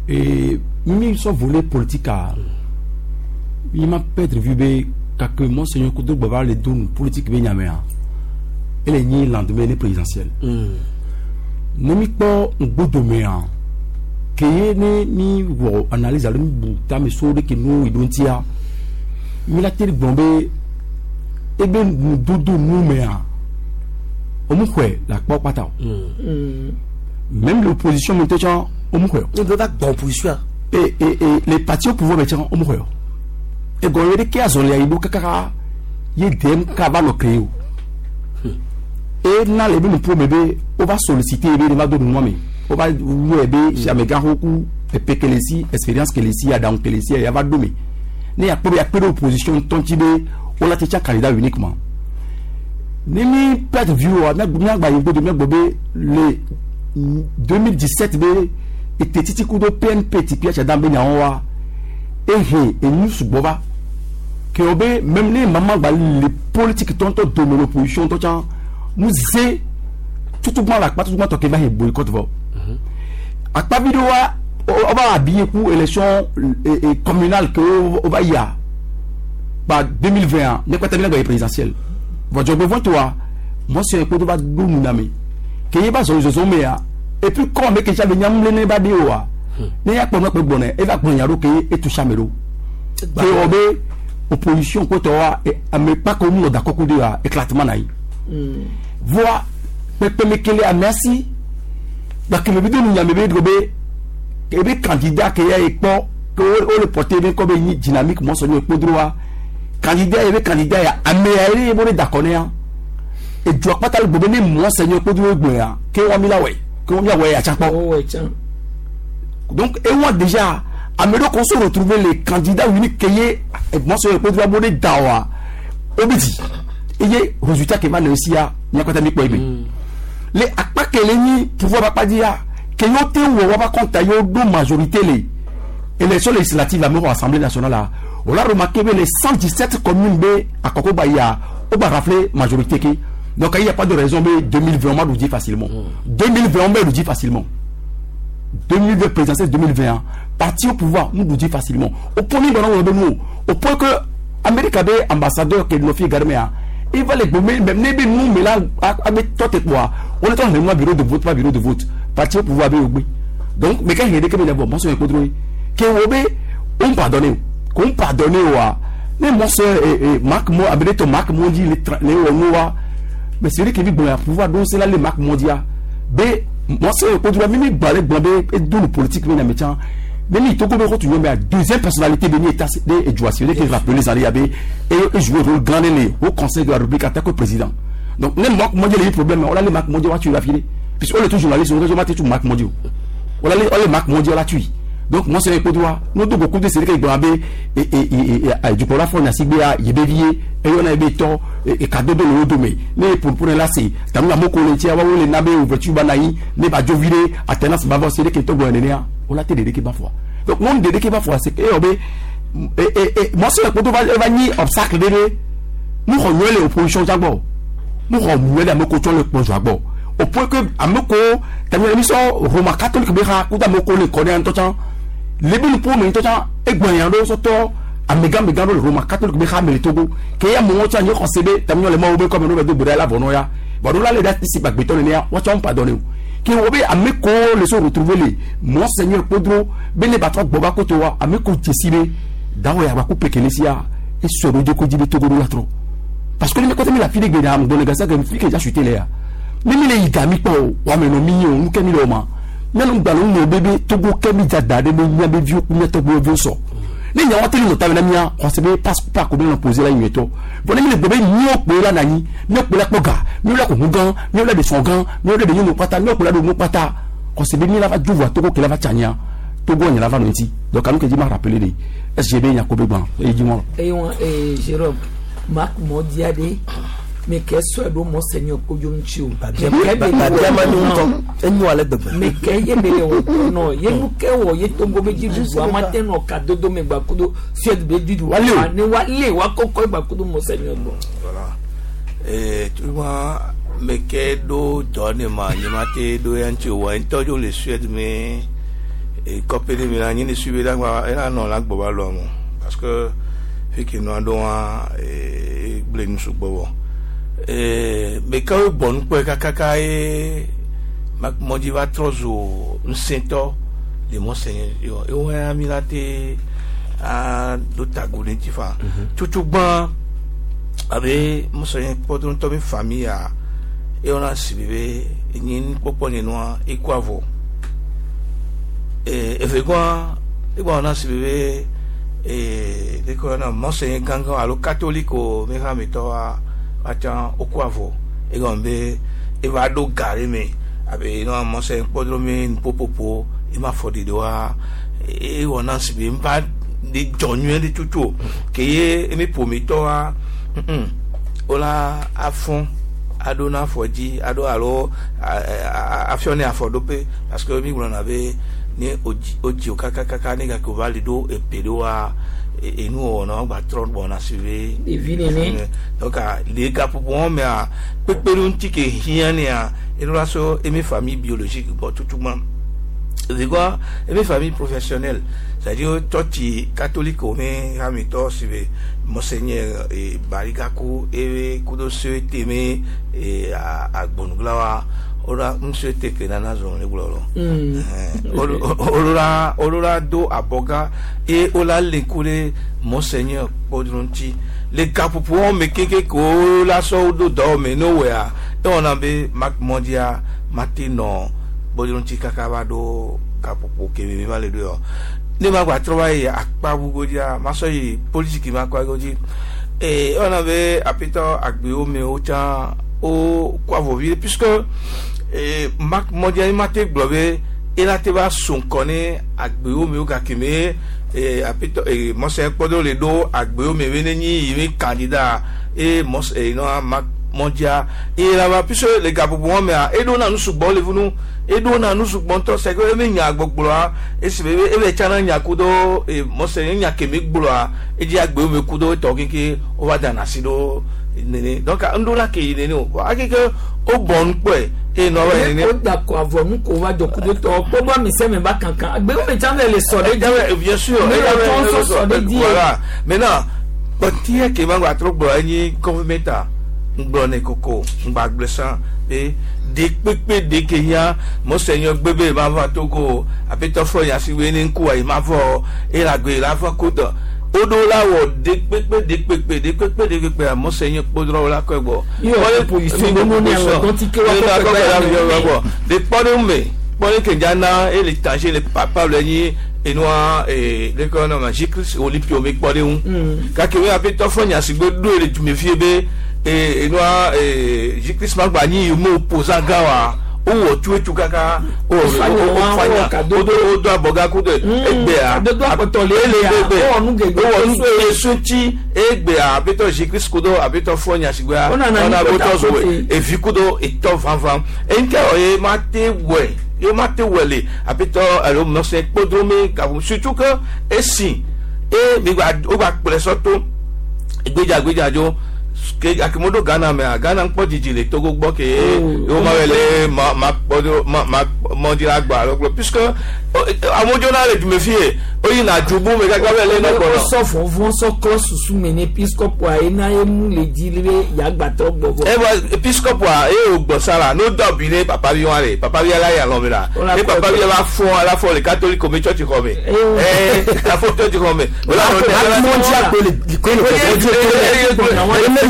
ee mi sɔ volet politique a mi ma perdre vue be kake monseigneur Kodo gbɔ le do nu politique be nyamea ele nyi lendemain ne présidentielle ne mi kpɔ ŋgbodomea ke ye ne mi wɔ analyse alo mi bu tame so ɖe ke nu yi ɖo ŋutia mi la te gblɔ be ebe nudodo nu mea omu xɔe le akpa kpata o même l'opposition me tɛ tsã omu xɔe o. Ne bɛ va gbɔn opposition. et et et les partis au pouvoir me tsã omu xɔe o egɔme ɖe ke azɔlia yi ɖo kakaka ye DMK va nɔ créé o e na le be nuƒo me be wova solliciter be ne va do nua me wova wɔe be amegãxo ku epe kele si expérience kele si aɖaŋu kele si ya va do me ne yakpɔ be yakpe ɖe opposition ŋutɔ ŋuti be wola te tsa candidat uniquement ne mi perdre vue wa miagba yi gbodo miagblɔ be le deux mille dix sept be ete titi ku do PNP ti Pierre Tchadan be nyawo wa ehe enu sugbɔ va ke wo be même ne mama gba le politique tɔntɔ dome l'opposition tɔ tsã nu ze tutugba le akpa tutugba tɔ ke va he boycott vɔ akpavi ɖe wa wova habillé ku élection communale ke wova yia ba deux mille vingt ne kpata mi na gba yi présidentielle vɔ dzɔgbevɔ̃ toa mɔsɔn kpo do va ɖo nu na me ke ye va zɔ zɔzɔ mea et puis comme ame ke tsa be nyamu ne ba de oa ne ya kpɔ nɔkpe gbɔnɛ eva gblɔ nya ɖo ke etu sia ame ɖo ke wɔ be opposition kpɔtɔ wa ame kpakɔ mu nɔ dakɔku de wa éclatement na yi voa Kpekpeme ke le amea si gake me bi do nunya me be do be ebe candidat ke ya ekpɔ ke wo wo le porter be ŋkɔ be nyi dynamique monseigneur Kpodroa candidat ebe candidat ya ame ya ye bo ne dakɔ ne ya edua kpata le gbɔ be ne monseigneur Kpodro gblɔ ya ke wa mi la wɛ ke wa mi la wɛ atsakpɔ. Donc et moi déjà ame ɖewo ko se retrouver les candidats uniques ke ye monseigneur Kpodroa bo ne da wa o bi di eye résultat ke va le sia miakpata mi kpɔ ebe le akpa ke le nyi pouvoir ba kpa di ya ke yo te wɔ wa ba kɔnta yo do majorité le élection législative la mɛ assemblée nationale la o la remarqué be les cent dix-sept communes be akɔkɔ ba ya o ba rafler majorité ke donc il y a pas de raison be deux mille vingt on va nous dire facilement deux mille vingt on va nous dire facilement deux mille vingt présidentielle deux mille vingt parti au pouvoir nous nous dit facilement au point nous au point que Amérique avait ambassadeur qui nous fait garder il va les gommer même ne nous mais là avec toi et moi on est en bureau de vote pas bureau de vote parti au pouvoir donc mais quand il y a des cas bon c'est un contrôle que on pardonne qu'on pardonne wa mais mon soeur Marc moi avec ton Marc Mondi les les mais c'est vrai qu'il vit bon pouvoir donc c'est là les Marc Mondia b mon soeur contrôle même balé blabé et d'où le politique mais métier mais ni Togo be retourner mais deuxième personnalité béni état de Edouard qui rappelé les alliés et jouer rôle grand au conseil de la République en tant que président donc ne Marc Mondial les problème on a les Marc Mondial tu l'as filé puisque on est tous journalistes on a tout Marc Mondial on a les on les Marc Mondial la tué donc moi c'est droit nous deux beaucoup de c'est que Gbambe et et et du coup la fois on a sigbé à Yébévier et on a été tort et cadeau de l'eau mais mais pour pour là c'est t'as mis la moko le tia wa le nabe ouverture banaï ne ba jovire attenance bavo c'est que to go on a été dédé ba fois donc non dédé ba fois c'est que eh et et moi c'est le va va ni obstacle dédé nous renouer les oppositions d'abord nous renouer les amoko le projet d'abord au point que amoko t'as mis l'émission Roma catholique bera kuda moko le connaît en tout temps les bons pour mais tout temps et goyando soto amega mega le Roma catholique bera mais Togo que ya mon tcha nyo concebe t'as mis les mots comme nous de brela vonoya voilà les dates ici pas béton né on t'a pardonné qui obe ameko le so retrouver les monseigneur Podro bele batro boba kotowa ameko jesibe dawo ya ba couper kelesia et so do ko dibe Togo la trop parce que les côté mi la fille de dame dans les gars que fille que j'ai chuté là mais mi le igami po wa me no mi o nu kemi lo ma mi no gba lo no bébé Togo kemi jada de me nya be vieux ku Togo vieux so ni nya wa tele no ta na mia on se be passe pas ko be no poser la nyueto bon mi le bébé mi o pe la nani mi o pe la poga mi o la ko gan mi o la de son gan mi o la de nyu pata mi o pe la do mo pata on se be mi la va juvo Togo ke la va tchania Togo nya la va no ti donc anu ke di ma rappeler de S G B nya ko be gban e di mo et on et Jérôme Marc Mondiade mais qu'est-ce que monseigneur Kodjo mais qu'est-ce que non ye nu ke wo ye tongo be ji du amate no ka dodo me gba kudo suède be du du ne wa le wa koko gba kudo monseigneur bon voilà et tu vois mais que do donne ma ni mate do yanchi wa ntojo le Suède mais et copé de mi la ni suivi la la non la gbo ba lo mo parce que fi ki no ado wa e ble nu su gbo eh mais quand bon quoi kaka e Mondi va trop zo nsento le monseigneur yo e wa mi la te a do tagole ti fa tutu gban abe monseigneur Podro to mi famille a e ona sibibe ni popo ni no e kwa vo e e fe kwa e kwa ona sibibe e de ko na monseigneur ganga alo catholique o me ha mi to a atan okwavo e gombe e va do gare me abe no monseigneur Podro me popopo e ma fodi do a e wona sibi mpa de jonyu de tutu ke ye e mi pomito a ola afon adona fodi ado alo afione afodope parce que mi wona be ni oji oji kaka kaka ni ga ko valido e pedo a et nous on a ba trop bon a suivi donc les gars pour moi mais a pépé un ticket rien né a et nous là so et mes familles biologiques bon tout tout monde c'est quoi et mes familles professionnelles c'est-à-dire toi tu catholique mais ami toi suivi monseigneur et Barigako et kudo souhaité mais et à à Bonuglawa ora monsieur teke na na zone le glolo ora ora do aboga et ola le kule monseigneur Podronti le kapupu on me keke ko la so do do me nowhere Ewɔna be Marc Mondia mate nɔ gbɔdɔntsi kaka va ɖo gaƒoƒo keme mi va le ɖo yɔ. Ne ma gba trɔ va yi akpa bugo dzia, ma sɔ yi politiki ma kpa go dzi. Ee ewɔna be aƒetɔ agbewo me wotsã wo kɔ avɔ vi ɖe puisque ee Marc Mondia ma te gblɔ be ela te va so ŋkɔ ne agbewo me wo gake me ee aƒetɔ ee mɔsɛ kpɔdo le ɖo agbewo me be ne nyi yi be candidat eye mɔs ee nɔ Marc Mondia eye la va puisque le gaƒoƒo wɔn mea eɖo na nu sugbɔ le funu eɖo na nu sugbɔ ŋutɔ c'est que ebe nya gbɔgblɔa esi be ebe tsana nya ku do ee mɔsɛ nya keme gblɔa edzi agbewo me ku do etɔ keke wova dana asi ɖo nene donc ŋɖo ke yi nene o akeke wo bɔ nu kpɔe eye nɔ va yi nene. O da kɔ avɔ nu ko va jɔ kudo tɔ kpɔgbɔ mi sɛ mi ba kankan agbewo me tsã le sɔ ɖe dzi. Bien sûr ne le tɔn sɔ sɔ ɖe dzi. Voilà maintenant kpɔtiɛ ke ma gba trɔ gblɔ enyi gɔvɛmɛnta ŋgblɔ ne koko ŋgba gblẽ sã be de kpekpe de ke hiã mɔsɛ nyɔ gbebe ma va Togo aƒetɔ fɔ nya si be ne ŋkua yi ma vɔ eye la gbe la va ko dɔ woɖo la wɔ de kpekpe de kpekpe de kpekpe de kpekpe mɔsɛ nyɔ kpodrɔ la kɔe gbɔ. De kpɔɖeŋu me kpɔɖeŋu ke dza na eye le tange le papa le nyi enua ee lekɔ nɔ ma Jésus Olympio me kpɔɖeŋu gake wo aƒetɔ fɔ nya si gbe ɖo le dume fie be ee enua ee Jésus ma gba nyi mo opposant gã wa wowɔ tu etu kaka wowɔ fanya wodo wodo abɔga kudo egbea wowɔ nu geɖe tsi egbea aƒetɔ Jésus kudo aƒetɔ fɔ nya si gbea ɔna aƒetɔ zoe evi kudo etɔ vanvan eŋkɛ wɔ ye ma te wɔe ye ma te wɔe le aƒetɔ alo mɔsɛ kpodome gaƒo surtout que esi e mi gba wo gba kplɛ sɔto egbedza gbedza dzo ke akimodo Ghana mea Ghana ŋkpɔ dzidzi le Togo gbɔ ke wo ma wɔ le ma ma kpɔdo ma ma mɔdzi gba alo gblɔ puisque amewo dzona le dume fie woyina dzubu me kaka be le nɔgbɔnɔ. Sɔ vɔvɔ sɔ klɔ susu me ne episcopoa ye na ye mu le dzi le yagbatɔ gbɔgbɔ. Ebe episcopoa ye wo gbɔ sa la n'o dɔ bi ne papa bi wa le papa bi ala ya lɔ mi la ne papa bi la fɔ ala fɔ le catholique me tsɔtsi xɔ me ɛɛ la fɔ tsɔtsi xɔ me.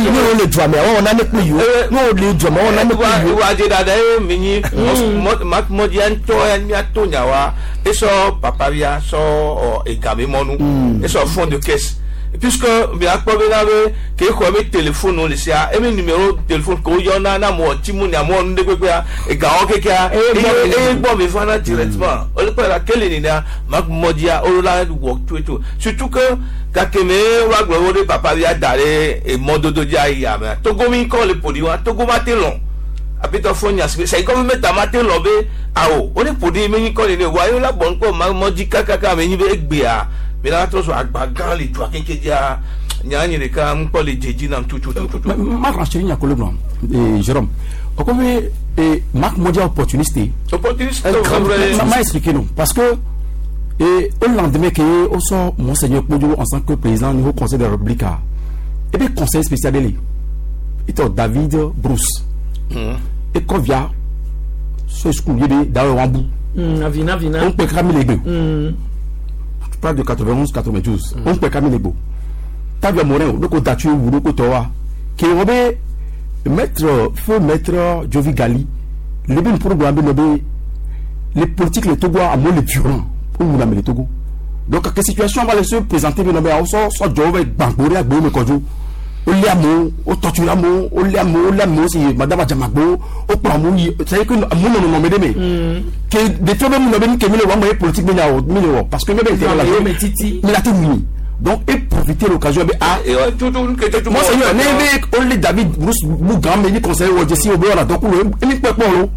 Ne wo le dua me awɔ nane kple yiwo ne wo le dua me awɔ nane kple yiwo. Wa dze dada ye mi nyi mɔdia ŋutɔ ya miato nya wa esɔ papavia sɔ ɔ egame mɔnu esɔ fond de caisse puisque miakpɔ bena be ke xɔ be téléphone le sia ebe numéro téléphone ko yɔna na mɔ ti mu nya mɔ nu ɖe kpekpea egawo kekea eye gbɔ mi fana directement ole kpɔ la kele nina mak mɔdia olo la wɔ tsoetso surtout que gake me wa gblɔ wo ɖe papavia da ɖe emɔdodo dzi ayi ame Togo mi kɔ le ƒo ɖi wa Togo ma te lɔn aƒetɔ fɔ nya si sɛ gɔvɛmɛnta ma te lɔn be awo wo ne ƒo ɖi me nyi kɔ nene wa ye la bɔ ŋkɔ ma mɔdzi kakaka me nyi be egbea mi la trɔ so agba gã le dua keke dzia nya nyi ɖeka ŋkpɔ le dzedzi nam tutututu. Ma rassure nya kolo gblɔ Jérôme o ko be Marc Mondia opportuniste. Opportuniste. Ma expliqué non parce que et au lendemain que au sort Monseigneur Kpodio en tant que président du Haut Conseil de la République et puis conseiller spécial de lui il David Bruce. Et quand vient ce school il est dans Wambou. Avina vina. On peut cramer les deux. Tu parles de quatre-vingt-onze quatre-vingt-douze. On peut cramer les deux. Tavia Morin, le côté Datu ou le côté Toa, qui est maître feu maître Jovi Gali, le bien programme les politiques les Togo à moins les violents pour nous les Togo. Donc quelle situation va se présenter mais on sort sort Jovi Bangoré à Gbome Kodjo. O lé amewo o torture amewo o lé amewo o lé amewo si madame Adjamagbo o kplɔ amewo yi c'est à dire que amewo nɔ nɔnɔme ɖe me ke ɖeviwo be nɔ be nu ke mi le wɔ amewo ye politique mi nya wɔ mi le wɔ parce que mi be intérêt la mi la te wuli donc et profiter l'occasion be ah moi seigneur ne be o lé David Bruce Mugan me ni conseiller wɔ jesi o be wɔna dɔku lo emi kpɛ kpɔ lo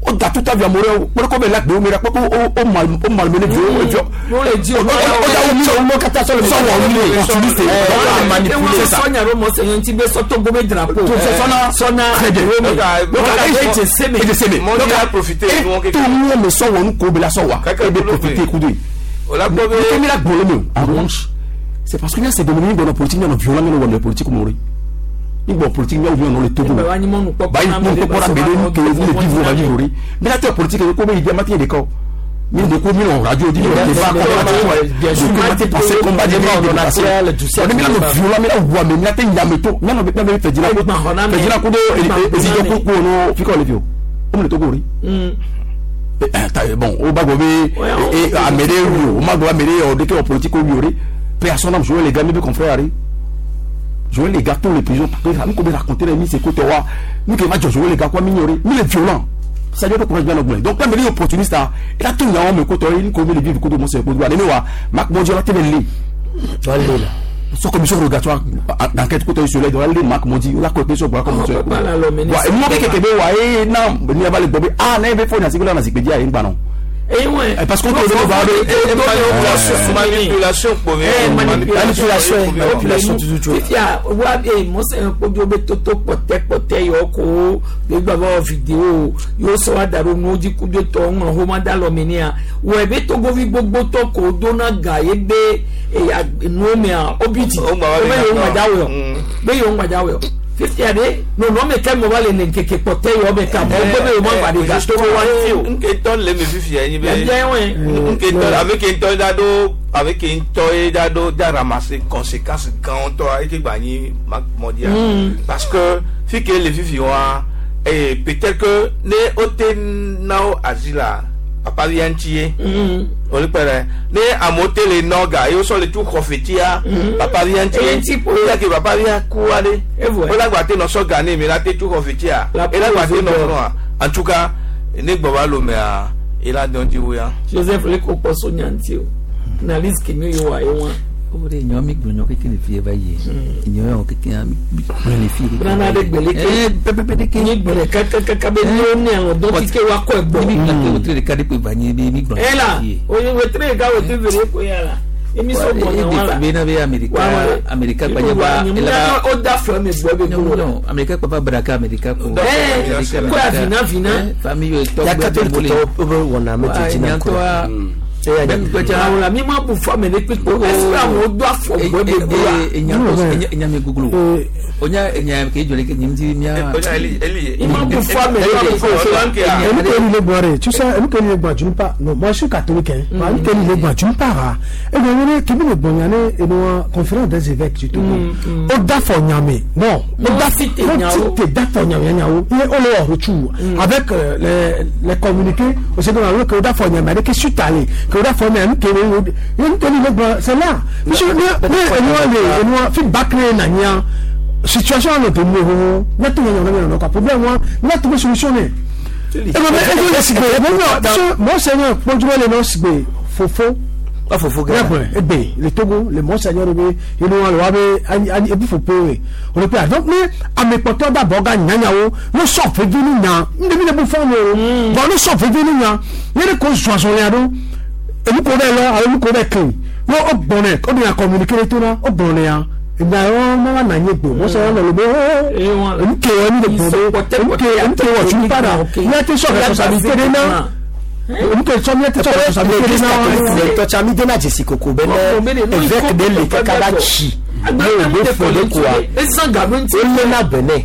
o da tout avia more o kpɛ ko be la gbe o mi ra kpɛ ko o o mal o malmené vieux o vieux o le di o o da o mi o mo kata sɔ le sɔ wɔ mi le opportuniste manipuler ça sɔnya ro mɔsɛnyɛ ŋuti be sɔ Togo be drapeau sɔna sɔna très bien donc donc e de seme donc a profiter tout le monde sɔ wɔ nu ko be la sɔ wa e de profiter ku de o la gbɔ be mi la gbɔ le me en revanche c'est parce que c'est devenu une politique non violent non wɔ politique mori ni bon politique mi awo le Togo ba ni mɔnu kpɔ ba ni mɔnu kpɔ la bele ni ke ni vivre va vivre mais la politique ko be idée matin de ko Mi de ko mi no radio di mi débat comme passer combat di mi passer. On mi la no violent mi la wa mi la te nyame to. Mi no be be fedina ko. Fedina ko do ezijo ko ko no fi ko le fio. O mi le Togo ri. Bon, au Bagobé et Amédée, au Mago Amédée, au décret politique au Bioré, personne n'a joué les gars, mes confrères. Jouer les gars, tous les prisons, nous pouvons raconter les mises, c'est côté roi, nous qui va jouer les gars, quoi, mignorer, nous les violents. Ça y est, courage bien augmenté. Donc, quand il est opportuniste, il a tout le monde, côté, il connaît les vivres, côté de mon sœur, côté de moi, Marc Mondial, la télé, sans commission rogatoire d'enquête côté sur les doigts Marc Mondi la côté sur bois comme ça ouais moi que que ouais non ni va le bébé ah n'a pas faut na na zikpedia yin ba non eh ouais parce qu'on peut voir manipulation manipulation manipulation toujours fifia wa eh mo se npojo be toto pote pote yo ko be gba ba video yo so wa daro no ji kujo to won ho ma da lo mi ni a we be to go vi gbogbo to ko do na ga ye be e no me a obiti o be yo ma dawo be yo ma dawo fifia de no no me ke mo ba le nkeke pote yo be ka mo be yo ma pa de ga to wa ti o nke to le me fifia yin be nke to avec un to dado avec un to dado da ramasser conséquences quand to et que gagner mondial parce que fi que le fifi wa et peut-être que ne ote nao azila papa vient tié on le père ne amote le noga et so le tout profetia papa vient tié il que papa vient coualer on la gâté no so gagner mais la tout profetia et la gâté no en tout cas ne gboba lo mais il a don di wuya Joseph le ko poso nyanti o na list ke mi yo wa yo o de nyo mi gbonyo ke le fi ba ye nyo yo ke ke mi le fi brana de gbele ke eh pepe de ke ni gbele ka ka ka be ni o ni awon don ti ke wa ko egbo mi ke o tre ka de pe ba ni mi gbon eh la o ye tre ka o ti vere ko ya la emi so gbon wa la be na be America America pa je ba ela o da fo mi gbo be gbo no America pa pa braka America ko eh ko afina fina famille to ya catholique to wona me ti na ko àwọn mi máa bù fún mi ní pípọ̀ ẹsẹ̀ àwọn odò àfọ̀gbọ́ bẹ gbọ́ wa. enya mi gugulu onya enya ke jole ke nyim ti mia. I ma bù fún mi ní pípọ̀. Emi ke ni le gbọ́ rẹ̀ tu sais emi ke ni le gbọ́ junu pa non moi je suis catholique hein emi ke ni le gbọ́ junu pa ra e bɛ wele kemi le gbọ́ yan ne enu wa conférence des évêques du Togo o da fɔ ɲame non o da o ti te da fɔ ɲame ɲawo i ye o le wɔ tu avec les les communiqués o se dɔn que o da fɔ ɲame ale ke su tale que o da fɔ ɲame ke emi ke ni le gbọ́ c'est là monsieur ne ne enu wa le enu wa feedback ne na ɲa situation ne te mu ho ne te ɲa ɲa ɲa quoi problème wa ne te solution ne. Et monseigneur Pondjoué le nom sigbe fofo ah fofo gars eh ben le Togo le monseigneur be inu wa wa be ani ebu fofo we on peut donc mais à mes porteurs d'abord ga nyanyawo no so fe vinu nya ndemi le bu fo mo bon no so fe vinu nya ni ko zoazon le ado emu ko be lo emu ko be kan no o bonne o bi communiquer to na o bonne ya ìgbà wọn máa nà yín gbò wọ́n sọ wọn lọ lọ bó emu ke wọn ní gbò emu ke emu ke wọ́n tún padà ní ẹ ti sọ responsabilité de náà emu ke sọ ní ẹ ti sọ responsabilité de náà. tọ́tí mi dé náà jèsì kòkó bẹ́ẹ̀ náà évêque de lè kẹ́kẹ́ bá tsi ní ògbó fòlé kóa ó lé náà bẹ̀nẹ̀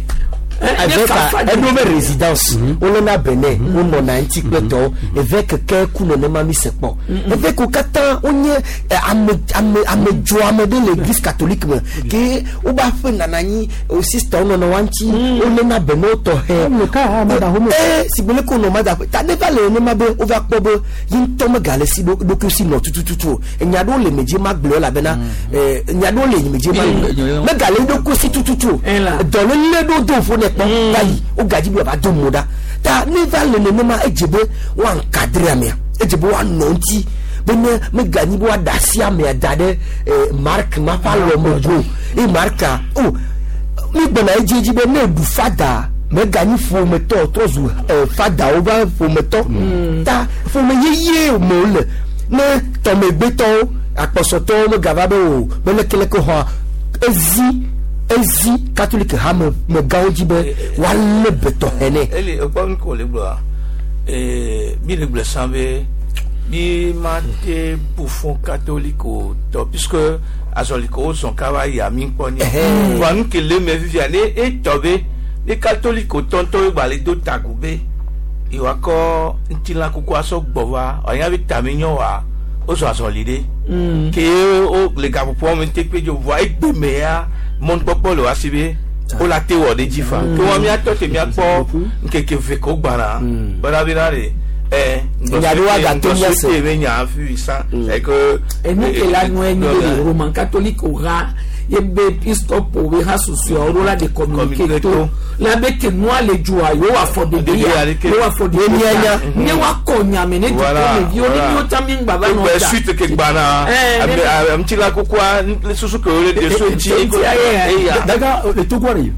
évêque ɛdó bɛ résidence ó lé náà bẹ̀nẹ̀ ó nɔ náà ŋuti kpɛtɔ évêque kɛ ku nenema mi se kpɔ évêque wo katã wonye ame ame ame dzo ame ɖe le église catholique me ke wo ba ƒe nana anyi o sista wo nɔnɔ wa ŋuti wo lé náà bẹ̀nẹ̀ wo tɔ hɛ ee sigbele ko nɔ ma da ta ne va le nenema be wo va kpɔ be ye ŋutɔ megale si ɖokui si nɔ tutututu o enya ɖewo le medzi ma gblɔ elabena ɛɛ enya ɖewo le medzi ma gblɔ megale ɖokui si tututu o dɔlele ɖo do ƒo ne kpɔ va yi wo gadzi bi wòava do mo ɖa ta ne va le nenema edze be woa encadre amea edze be woanɔ ŋuti be ne meganyi be woaɖe asi amea da ɖe ɛɛ mark ma ƒe alɔme go eye marka o mi gbɔna edzi edzi be ne eɖu fada meganyi ƒometɔ trɔ zu ɛɛ fadawo va ƒometɔ ta ƒome yeye me wole ne tɔmegbetɔwo akpɔsɔtɔwo megava be o be lekeleke xɔa ezi ezi catholique ha me megawo dzi be woalé betɔ hɛnɛ. Eli ekpɔ nu ko le gblɔa ee mi le gblɔ san be mi ma te bouffon catholique o tɔ puisque azɔliko wo zɔn kaba ya mi kpɔ ni wa nu ke le me fifia ne etɔ be ne catholique o tɔntɔ gba le do tagu be Iwakɔ ŋutilã kuku asɔ gbɔ va ɔnya bi tami nyɔ wa wozɔ azɔli ɖe. Ke wo le gaƒoƒoa me te kpe dzo vɔa egbe me ya mɔnukpɔkpɔ le wa si be wo la te wɔ ɖe dzi fa. Ke wa míatɔ te míakpɔ ŋkeke ve ko gbana bena bena de ɛ ŋgbɔsɔte be nya fi sa c'est que. Enu ke la nue nyi be Roman catholique o ha ye be episcopo be ha susuawo ɖo la de communiqué to la be ke nua le dzoa yewo afɔ ɖeɖe ya yewo afɔ ɖeɖe ya ne woakɔ nyame ne dukɔmeviwo ne míwo tsã mi ŋgba va nɔ ta. Suite ke gbana ŋutilã kukua susu ke wole de so ŋuti. Daga le Togo re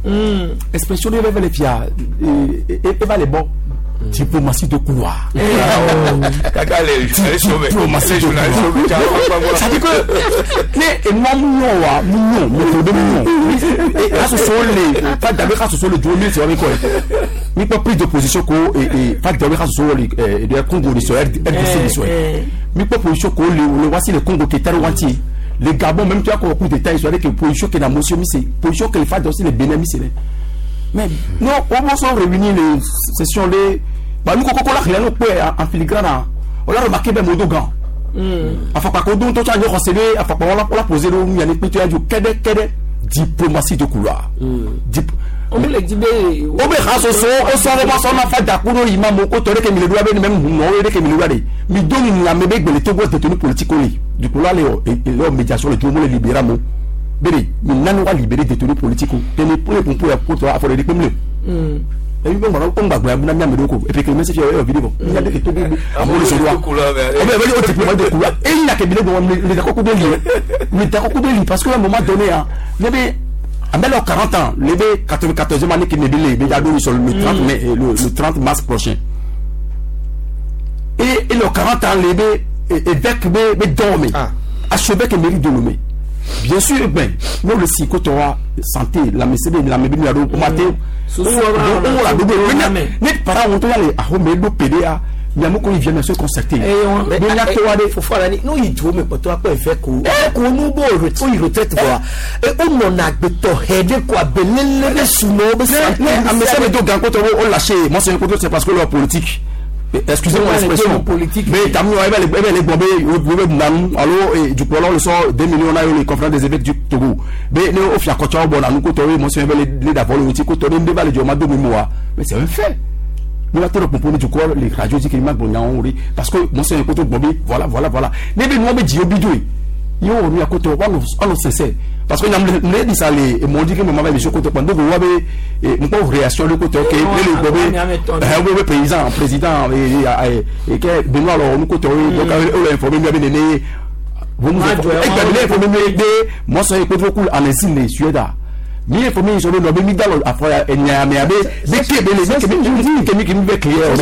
expression ɖe va le fia eva le bɔ. Diplomatie de couloir. Diplomatie de couloir. C'est-à-dire que, mais moi, moi, moi, moi, moi, d'abord, ce sont les deux mille, c'est quoi? Mais pas prise de position que et pas d'abord, ce sont les Congo de R D C mais pas position que le voici le Congo qui est entier. Le Gabon, même tu as un coup d'état, ils sont avec les positions que la motion, c'est position que les femmes aussi les Bénin, c'est mais non, on va se réunir les sessions les. Bah nous quand on a rien en filigrane, on a remarqué ben Modogan. Enfin par contre, on a renseigné, enfin on a posé le il y a des petits du kede kede diplomatie de couloir. On le dit ben. On be rasoso, on s'en va s'en a fait d'accord imam ko tore ke mi le doit même non le ke mi le doit mi doni la mebe gbele Togo détenu politique oli. Du coup là les les médiation le tout le libéra mo. Bébé, nous n'allons pas libérer des détenus politiques. Tenez pour les pompiers pour toi, pour les détenus. Et puis, on va on va et puis que le message est vidéo. Il y a des Togo à mon soir. Et bien, il y a des diplômes de couloir. Et il y a que les d'accord de lui. Les d'accord de lui parce qu'à un moment donné, il y avait à quarante ans, les quatre-vingt-quatorzième année qui n'est le trente mai le trente mars prochain. Et le quarante ans, les évêques mais dorment. Archevêque mérite de nommer. Bien sûr, ben, nous le psychotora santé, la médecine, la médecine, la matin, on la double, mais parents ont allé à Romeo P D A, Yamoko il vient se concerter. Mais nous il doit mais pas toi quoi faire quoi? Qu'on nous bon il retraite voir. Et on en a beto quoi belele sous nos mais mais ça mais donc quand on lâché, moi c'est un côté c'est parce que leur politique. Excusez-moi l'expression politique. Mais t'as mis les bombes, alors du coup alors le sort deux millions là les conférences des évêques du Togo. Mais nous au fiacocha bon nous côté monsieur les d'abord le petit côté nous débat le diamant de mémoire. Mais c'est un fait. Nous la terre pour du coup les radios dit qu'il m'a bon parce que monsieur côté bombé voilà voilà voilà. Mais nous on dit obidoué. Yo on à côté on on cesse parce que nous dit ça les m'ont dit que maman va monsieur côté pendant vous avez une pauvre réaction le côté OK le bébé président président et et que Benoît alors nous côté donc on informé bien né vous nous informé moi ça écoute beaucoup en exil Suède mi informé ils sont le mi dans afro et nyame abe de ke bele de ke mi ke mi be clair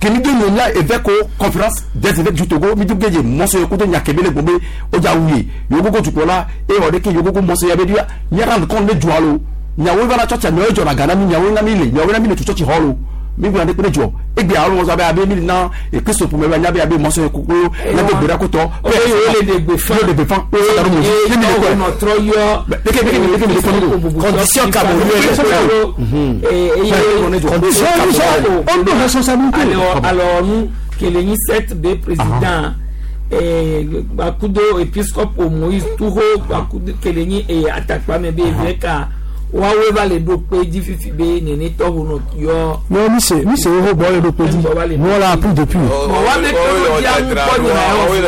que nous donnons là évêque conférence des évêques du Togo mi duggeje monsieur koto nyakebele gombe o ja wuye yogogo tukola e ode ke yogogo monsieur ya bedia nya rendre compte de dualo nya wo bana chocha no jo na gana mi nya wo na mi le nya wo na mi le chochi holo mi gba de jo e gbe awon so abe mi na e Kristo pour me ba nya be abe monsieur koko na be gbera koto o le de gbe fa le de gbe fa o sa mo ni mi ko no tro yo de ke de ke de ke condition camerounaise et condition on doit responsabilité alors alors nous que le sept B président et bakudo épiscope Moïse Touro bakudo que le et attaque me be évêque wawe va le do pe di fifi be nene to hono yo non mi c'est mi c'est o bo le do pe di nous on l'a appris depuis bon wa me ko di an ko ni na wa wa le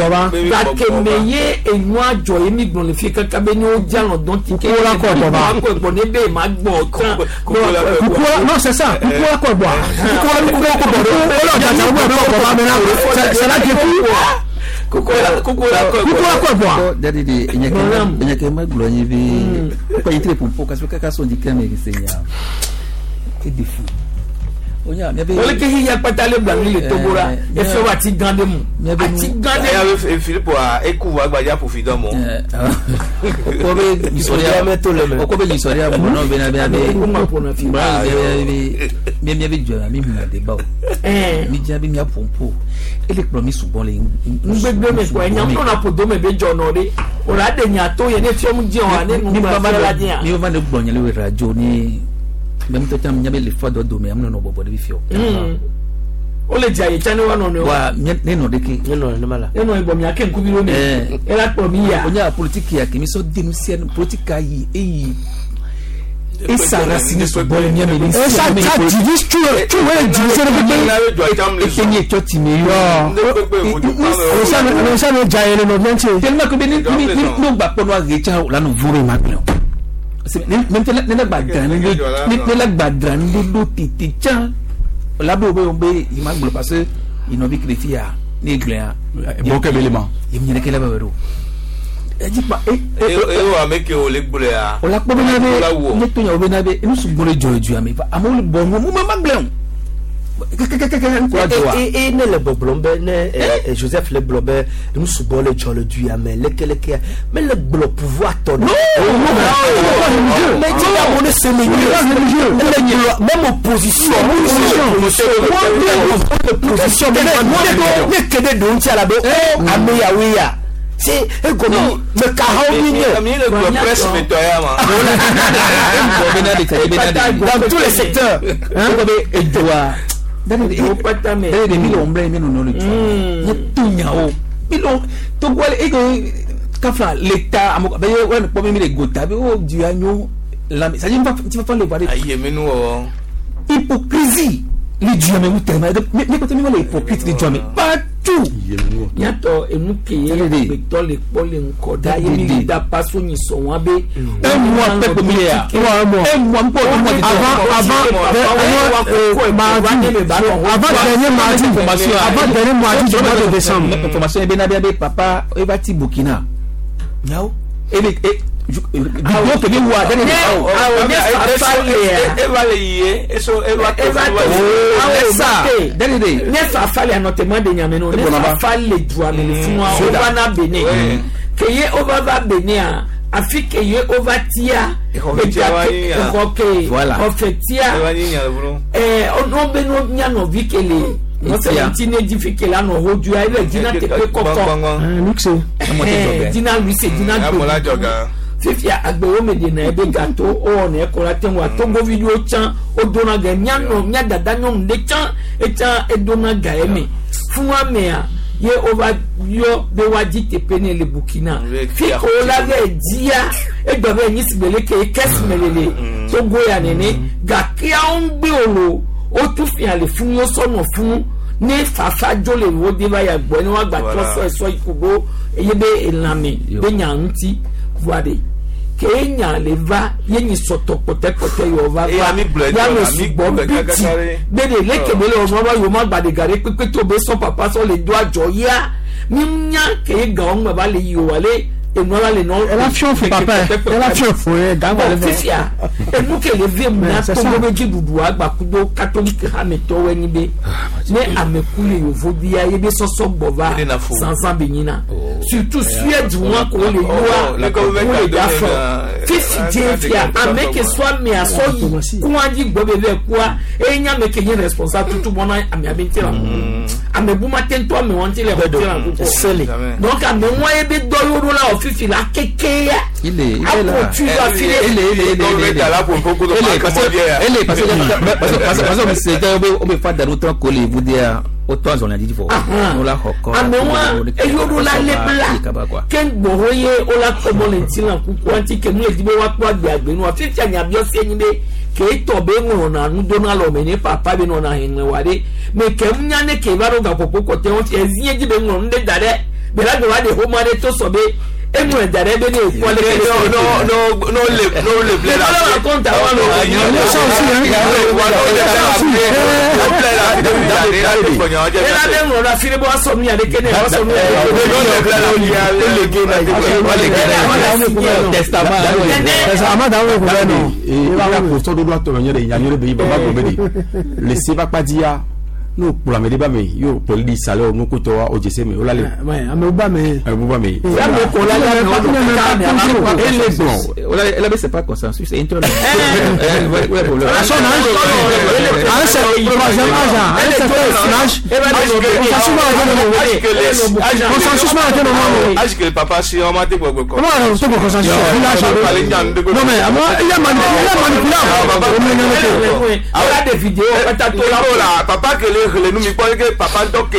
baba ba ke meye enu ajo emi gbon le fi kaka be ni o ja lon don ti ke ko la ko baba ko ko ne be ma gbo tan ko non c'est ça ko la ko bo ko la ko ko bo o la ja ja bo baba me na c'est là depuis Kukola kukola kukola ko bo dadi di enyeke enyeke maglo nyibi ko yitre pompo kasi kaka so ndi kame senya e defu onya mi be ole ke hiya patale bla mi le tobora e fe wa ti gande mu ati gande ya be Philippe wa eku wa gbaja pour fidom mo ko be historia ko be historia mo no be na be be mi mi be jwa mi mi de ba eh mi ja be mi pompo ele promis souvent les ngbegbe me ko enya ko na podo me be jono de ora de nya to ye ne fiom je wa ne nu ba la dia mi va ne gbonye le radio ni Même toi tam nyabe le fa do do me amno no bobo de bifio. O le dza ye tsã ne woanɔ nɔewo. Wa ne nɔ ɖeke. Ne nɔ nenema la. Ne nɔ bɔ miake ŋkuvi ɖo me. Ela kplɔ mi ya. O nya politique ya ke mi sɔ dénoncer politique ayi eyi. Et ça racine sur bon le mien mais Et ça ça divise tout tout ouais diviser le pays. Et ni toi tu me yo. Ça ne ça ne dza ye le nɔ bien tse. Tellement que ni ni ni no gba kpɔ no agetsa la no vore ma gblɔ. Ne ne ne gba dra ne ne la gba dra ne do tete tsa. Là-bas, il m'a parce que il n'a vu que les filles, ni gléa. Bon, quel élément? Il me dit qu'il avait un dit pas. Et et avec les gléa. On l'a pas bien vu. Ne tu n'as pas vu. Nous sommes bons les joyeux mais pas. Amon le bon, moi ma gléon. Et et ne le boblombe ne Joseph le blobe nous sommes bons les joyeux du mais le le mais le blo pouvoir ton. Non. Mais tu as mon c'est même opposition opposition mais ne kede don ti ala be ameya c'est comme le presse dans tous les secteurs l'État hypocrisie les dieux mais mais mais côté mais hypocrite les dieux mais partout nyatɔ enu ke ye agbetɔ le kpɔ le ŋkɔ da ye mi da paso nyi sɔn wa be. Un mois peuple mi ya un mois un mois avant avant mardi avant dernier mardi avant dernier mardi du mois de décembre. Information ebe na be papa eba ti Burkina. Nyawo. Ebe e donc que wa dani eva le yie eso eva eva ça dani de ne fa fa le anotema de nyame no ne fa fa le droit le funwa o va na Benin ke ye o va va Benin a afi ke ye o va tia ok o fe tia eh o be no nya no vi ke le non c'est un tine difficile là no hodu a ile dina tepe koko luxe dina luxe dina fifia agbewo me de na ebe gâteau o na ekola tenwa togo video chan o dona ga nya no nya dada nyom de chan e chan e dona ga eme funwa me a ye ova yo be wa di tepe ne le Burkina fi ko la ga dia e gba be ni sigbele ke kes melele togo ya nene ga kia on gbe olo o tún fi hàn lè fún yóò sọnà fún ní fàáfàá jólè wo dé báyà gbọ́ ní wọ́n gbà tó sọ ẹ̀sọ́ ìkógbó eye bẹ ìlànà bẹ nyà ń ti voade kéèyàn lè va yéyìn sọ̀tọ̀ pọ̀tẹ́pọ̀tẹ́ yóò va va yàrá ṣùgbọ́n bìtì gbèdè lékèmélé ọmọ bá yóò má gbàdégàrè pépé tó bẹ sọ pàpà sọ lè do àjọ yá mímúnyá kéègà ọ̀hún bàbá lè yí wálé enua le nɔ. Ela fiɔ fo papa ela fiɔ fo ye gagba le fɛ. Fifia enu ke le vie mu na Togo be dziɖuɖu agbakudo katolike hametɔwo enyi be ne ameku le yevodia ye be sɔsɔ gbɔ va zanzan be nyina surtout Suède wa ko le yua wo le da fɔ fifi die fia ame ke sɔ amea sɔ yi kua dzi gbɔ be vɛ kua eye nye ame ke nye responsable tutu bɔna amea be ŋuti la ame bu ma te ŋutɔ ame wɔn ŋuti le ŋuti la koko donc ame wa ye be dɔ yio ɖo la wɔ fifi la keke ya il est il est là tu vas filer il est il est il est il est il est parce que parce que parce que c'est o be fa daru tɔ ko le vudia o tɔ zɔn la didi fɔ o la xɔ kɔ ame wa eyo ɖo la le bla ke gbɔho ye o la kɔmɔ le ŋuti la kuku ŋuti ke nu le di be wa kpɔ agbe agbe nua fifi anyabiɔ se nyi be ke etɔ be ŋlɔna nudona lɔme ne papa be nɔna hɛnɛ wa de mɛ ke ŋunya ne ke va ɖo gaƒoƒo kɔtɛ ŋuti ezie dzi be ŋlɔ nu ɖe da ɖe bela wa de xɔma ɖe to sɔ be emu da ɖe be ne ekpɔ le no no no no le no le ble la no compte wa no ela be ŋlɔ ɖe afi ɖe be woasɔ nu ya ɖeke ne woasɔ nu ya ɖeke. n'o kplɔ ame ɖe ba me y'o kplɔli di salɛ o nukutɔ wa o jese me o la le. Ame ba me. Ame ba me. Ame ko la la ele gblɔ. O la la c'est pas consensus c'est interne. Consensus ma ate no. Age que papa si on m'a dit quoi quoi. Comment on to consensus? Non mais moi il a manipulé, il a a des vidéos la papa que le le nous mi que papa to que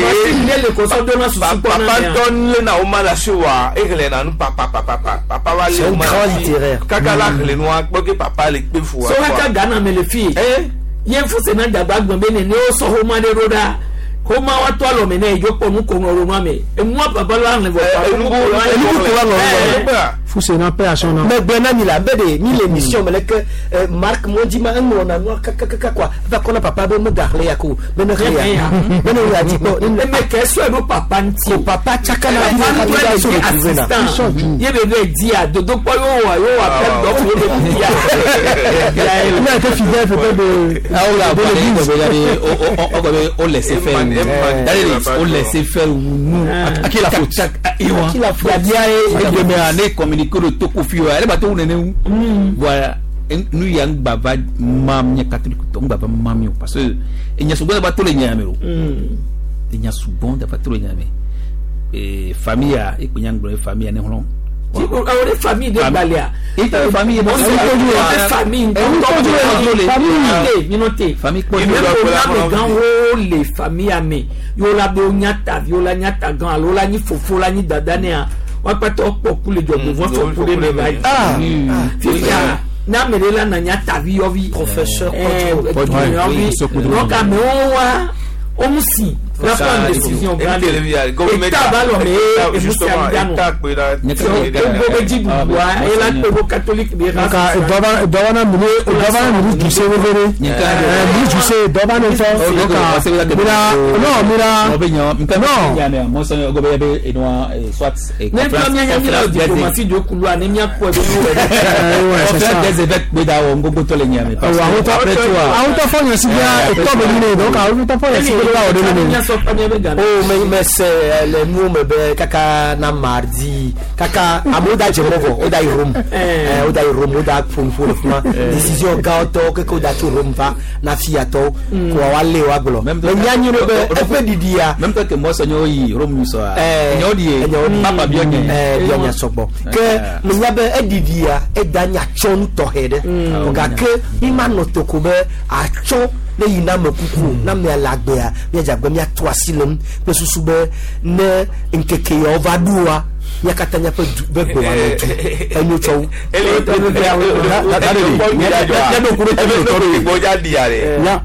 papa donne na o mala suwa e le na nu papa papa papa va le grand littéraire kaka la le noa que papa le pe fu so ka Ghana me le fi eh yen fu se na dagba gbon be ne ne o so ho ma de roda ko ma wa to alo me ne jo ponu ko no ro ma me e mu papa la le vo pa Fusena paix à son âme. Mais Bernard il a bébé ni l'émission mais que Marc Mondi ma un on a noir kaka quoi va qu'on a papa be me darle yako be ne rien be ne a dit bon mais qu'est-ce que papa nti papa chaka na assistant ye bébé dit à dodo po yo wa yo wa pe do fo be dia il a été fidèle peut-être de ah on l'a on on laisser faire on laisser faire nous à qui la faute à qui la faute et demain année communiquer le tokofi elle va tout nene voilà nous yang baba mamia catholique to baba mamio parce que il y a souvent ba tout le nyamero il y a souvent ba tout le nyame et famille et kunyang bro famille ne holon ti ko awore famille de balia et ta famille bon famille famille minote famille ko ni le famille amé yo la be nyata viola nyata gan alo la ni fofo la ni dada ne a wọ́n pẹ́ tọ́ pọ̀ kú lè jọ gbogbo wọn fọ kú lè mẹ́ báyìí. Fífíà n'amèrè la nà nyà tàbí yọvi. Professeur yọvi donc àmì wọn wá òun sì la prendre décision grande. État bá lọ mẹ́ èmùsí àmìdánu. Gbogbo méjì dùdú wa ẹ̀ la gbogbo catholique bí ra. Dɔba na mini dɔba na mini duse wevere. Mini duse dɔba ne fɛ. Mira non mira. Non. Ne fila mi anya mi la diplomatie de kulu ani mi akɔ ebi nu wɛ. Conférence des évêques gbe da wɔ ŋgogbo tɔ le nyame. Awɔ awutɔ fɔ yɛn si bia etɔ bɛ ɲini donc awutɔ fɔ yɛn si bia o de bɛ ɲini. Oh mais mais c'est le nu me be kaka na mardi kaka amewo da dze mɔ vɔ wo da yi Rome wo da yi Rome wo da ƒonuƒo le fi ma décision gãtɔwo keke wo da tso Rome va na fiatɔwo ko wa lé wa gblɔ mais nyanyi ɖe be eƒe ɖiɖia. Même toi que moi sɔnyɔ yi Rome sɔa. Enyawo ɖi ye papa biɔ nye. Biɔ nya sɔgbɔ ke menya be eɖiɖia eda nya tsɔ nu tɔxɛ ɖe gake mi ma nɔ toko be atsɔ ne yina ame kuku na mia le agbea miadze agbe miato asi le ŋu kple susu be ne ŋkeke yawo va ɖoa mía katã míaƒe du be gbe wa nɔ du enyo tsɔ wu.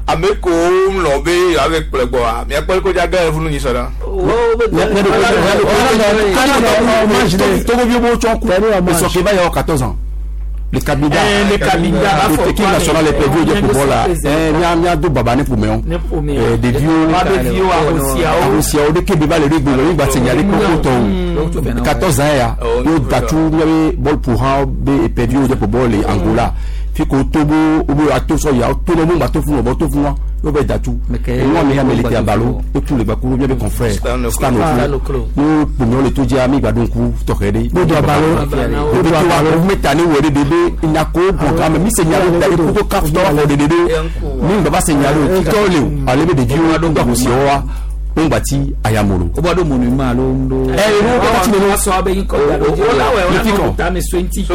Ame ko lɔ be yewoave kplɔe gbɔa miakpɔ ko dza gã funu nyi sɔ ɖa. Togo bo tsɔ ku esɔke ba yɔ quatorze ans. Le Kabinda, le Kabinda, l'équipe nationale est perdue au football là. Eh, mia mia do baba ne pour Eh, des vieux, Arosiao, de Kébéba le rugby, le rugby signalé pour autant. quatorze ans ya, yo datu miabe ball pour un be perdu au football et Angola. Fi ko Togo, ou ato so ya, tout le monde ba to fun, ba to fun. Yo be datu. Moi me ya melete abalo, et tous les bakuru miabe confrère. Stan Oklo. Yo pour le to dia mi ba donku tokede. Yo do abalo. Yo do abalo, metane wore bébé inako programme mi signalo da ko carte d'or de dédé mi baba signalo tole ale be de dieu donc ko si wa on bati ayamolo o ba do monument alo ndo eh no ko ti no so abe yin ko da o la we o na ta me twenty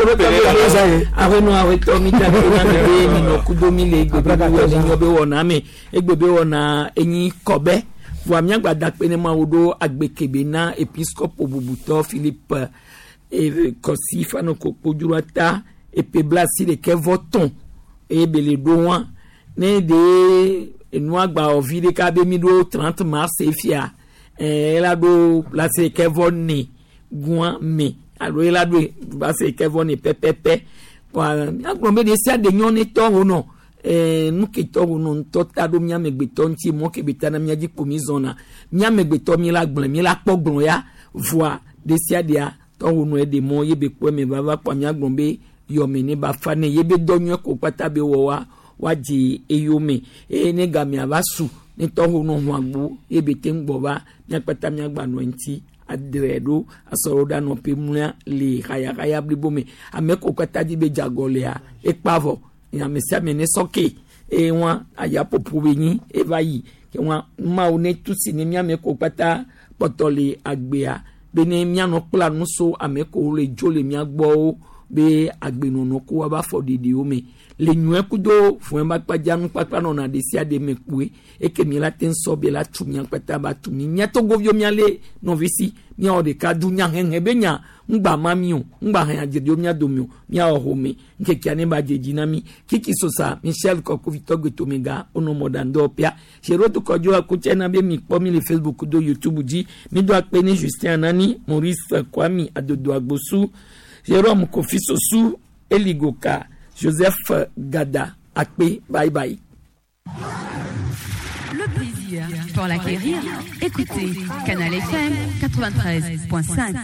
awe no awe to mi ta na be mi no kudo mi le gbe be we ni obe wona mi egbe be wona enyin kobe wa mi agba da pe ne ma wo do agbekebe na episcope obubuto Philippe e kosi fano ko pojurata epe blasi de ke voton e bele do wan ne de enu agba ovi de ka be mi do trente mars e fia eh la do blasi ke von ni guan me alo la do blasi ke von ni pepepe wa agbon be de sia de nyon ni to ho no eh nu ke to ho no nto ta do mi amegbeto nti mo ke beta na mi agi ko mi zona mi amegbeto mi la gbon mi la pogbon ya voa de sia dia to ho no e de mo ye be po me baba pa mi agbon be yomene ba fa ne ye be donyo ko pata be wo wa woadze eyome eye ne gamea va su ne tɔxo nɔ hɔn agbo ye be te ŋgbɔ va miakpata miagba nɔ eŋuti adre ɖo asɔrɔ ɖa nɔ pe mlɔa le hayahaya blibo me ame ko katã dzi be dzagɔ lea ekpa vɔ ame sia ame ne sɔke eye wa ayaƒoƒo be nyi eva yi ke wa mawu ne tu si ne miame ko kpata kpɔtɔ le agbea be ne mianɔ kpla nu so ame ko le dzo le mia gbɔwo be agbenɔnɔ ko wa ba fɔ ɖiɖiwo me le nyuie kudo fún ba kpadza nukpakpa nɔna ɖe sia ɖe me kpoe eke mi la te ŋsɔ be la tu mia kpata ba tu mi mia togoviwo mia le nɔvi si miawɔ ɖeka du nya hehe be nya ŋgba ma mi o ŋgba hɛn adzeɖewo mia dome o miawɔ home ŋkekea ne ba dze dzi na mi kiki sosa michel kɔkovitɔ gbetomega wonɔ mɔɖaŋdɔwɔƒea seroto kɔdzo akutsɛ na be mi kpɔ mi le facebook do youtube dzi mi do akpe ne justin anani maurice kwami adodo agbosu jérôme kofi sosu eligoka joseph gada akpe bye bye. Le plaisir pour l'acquérir, écoutez Canal F M quatre-vingt-treize point cinq.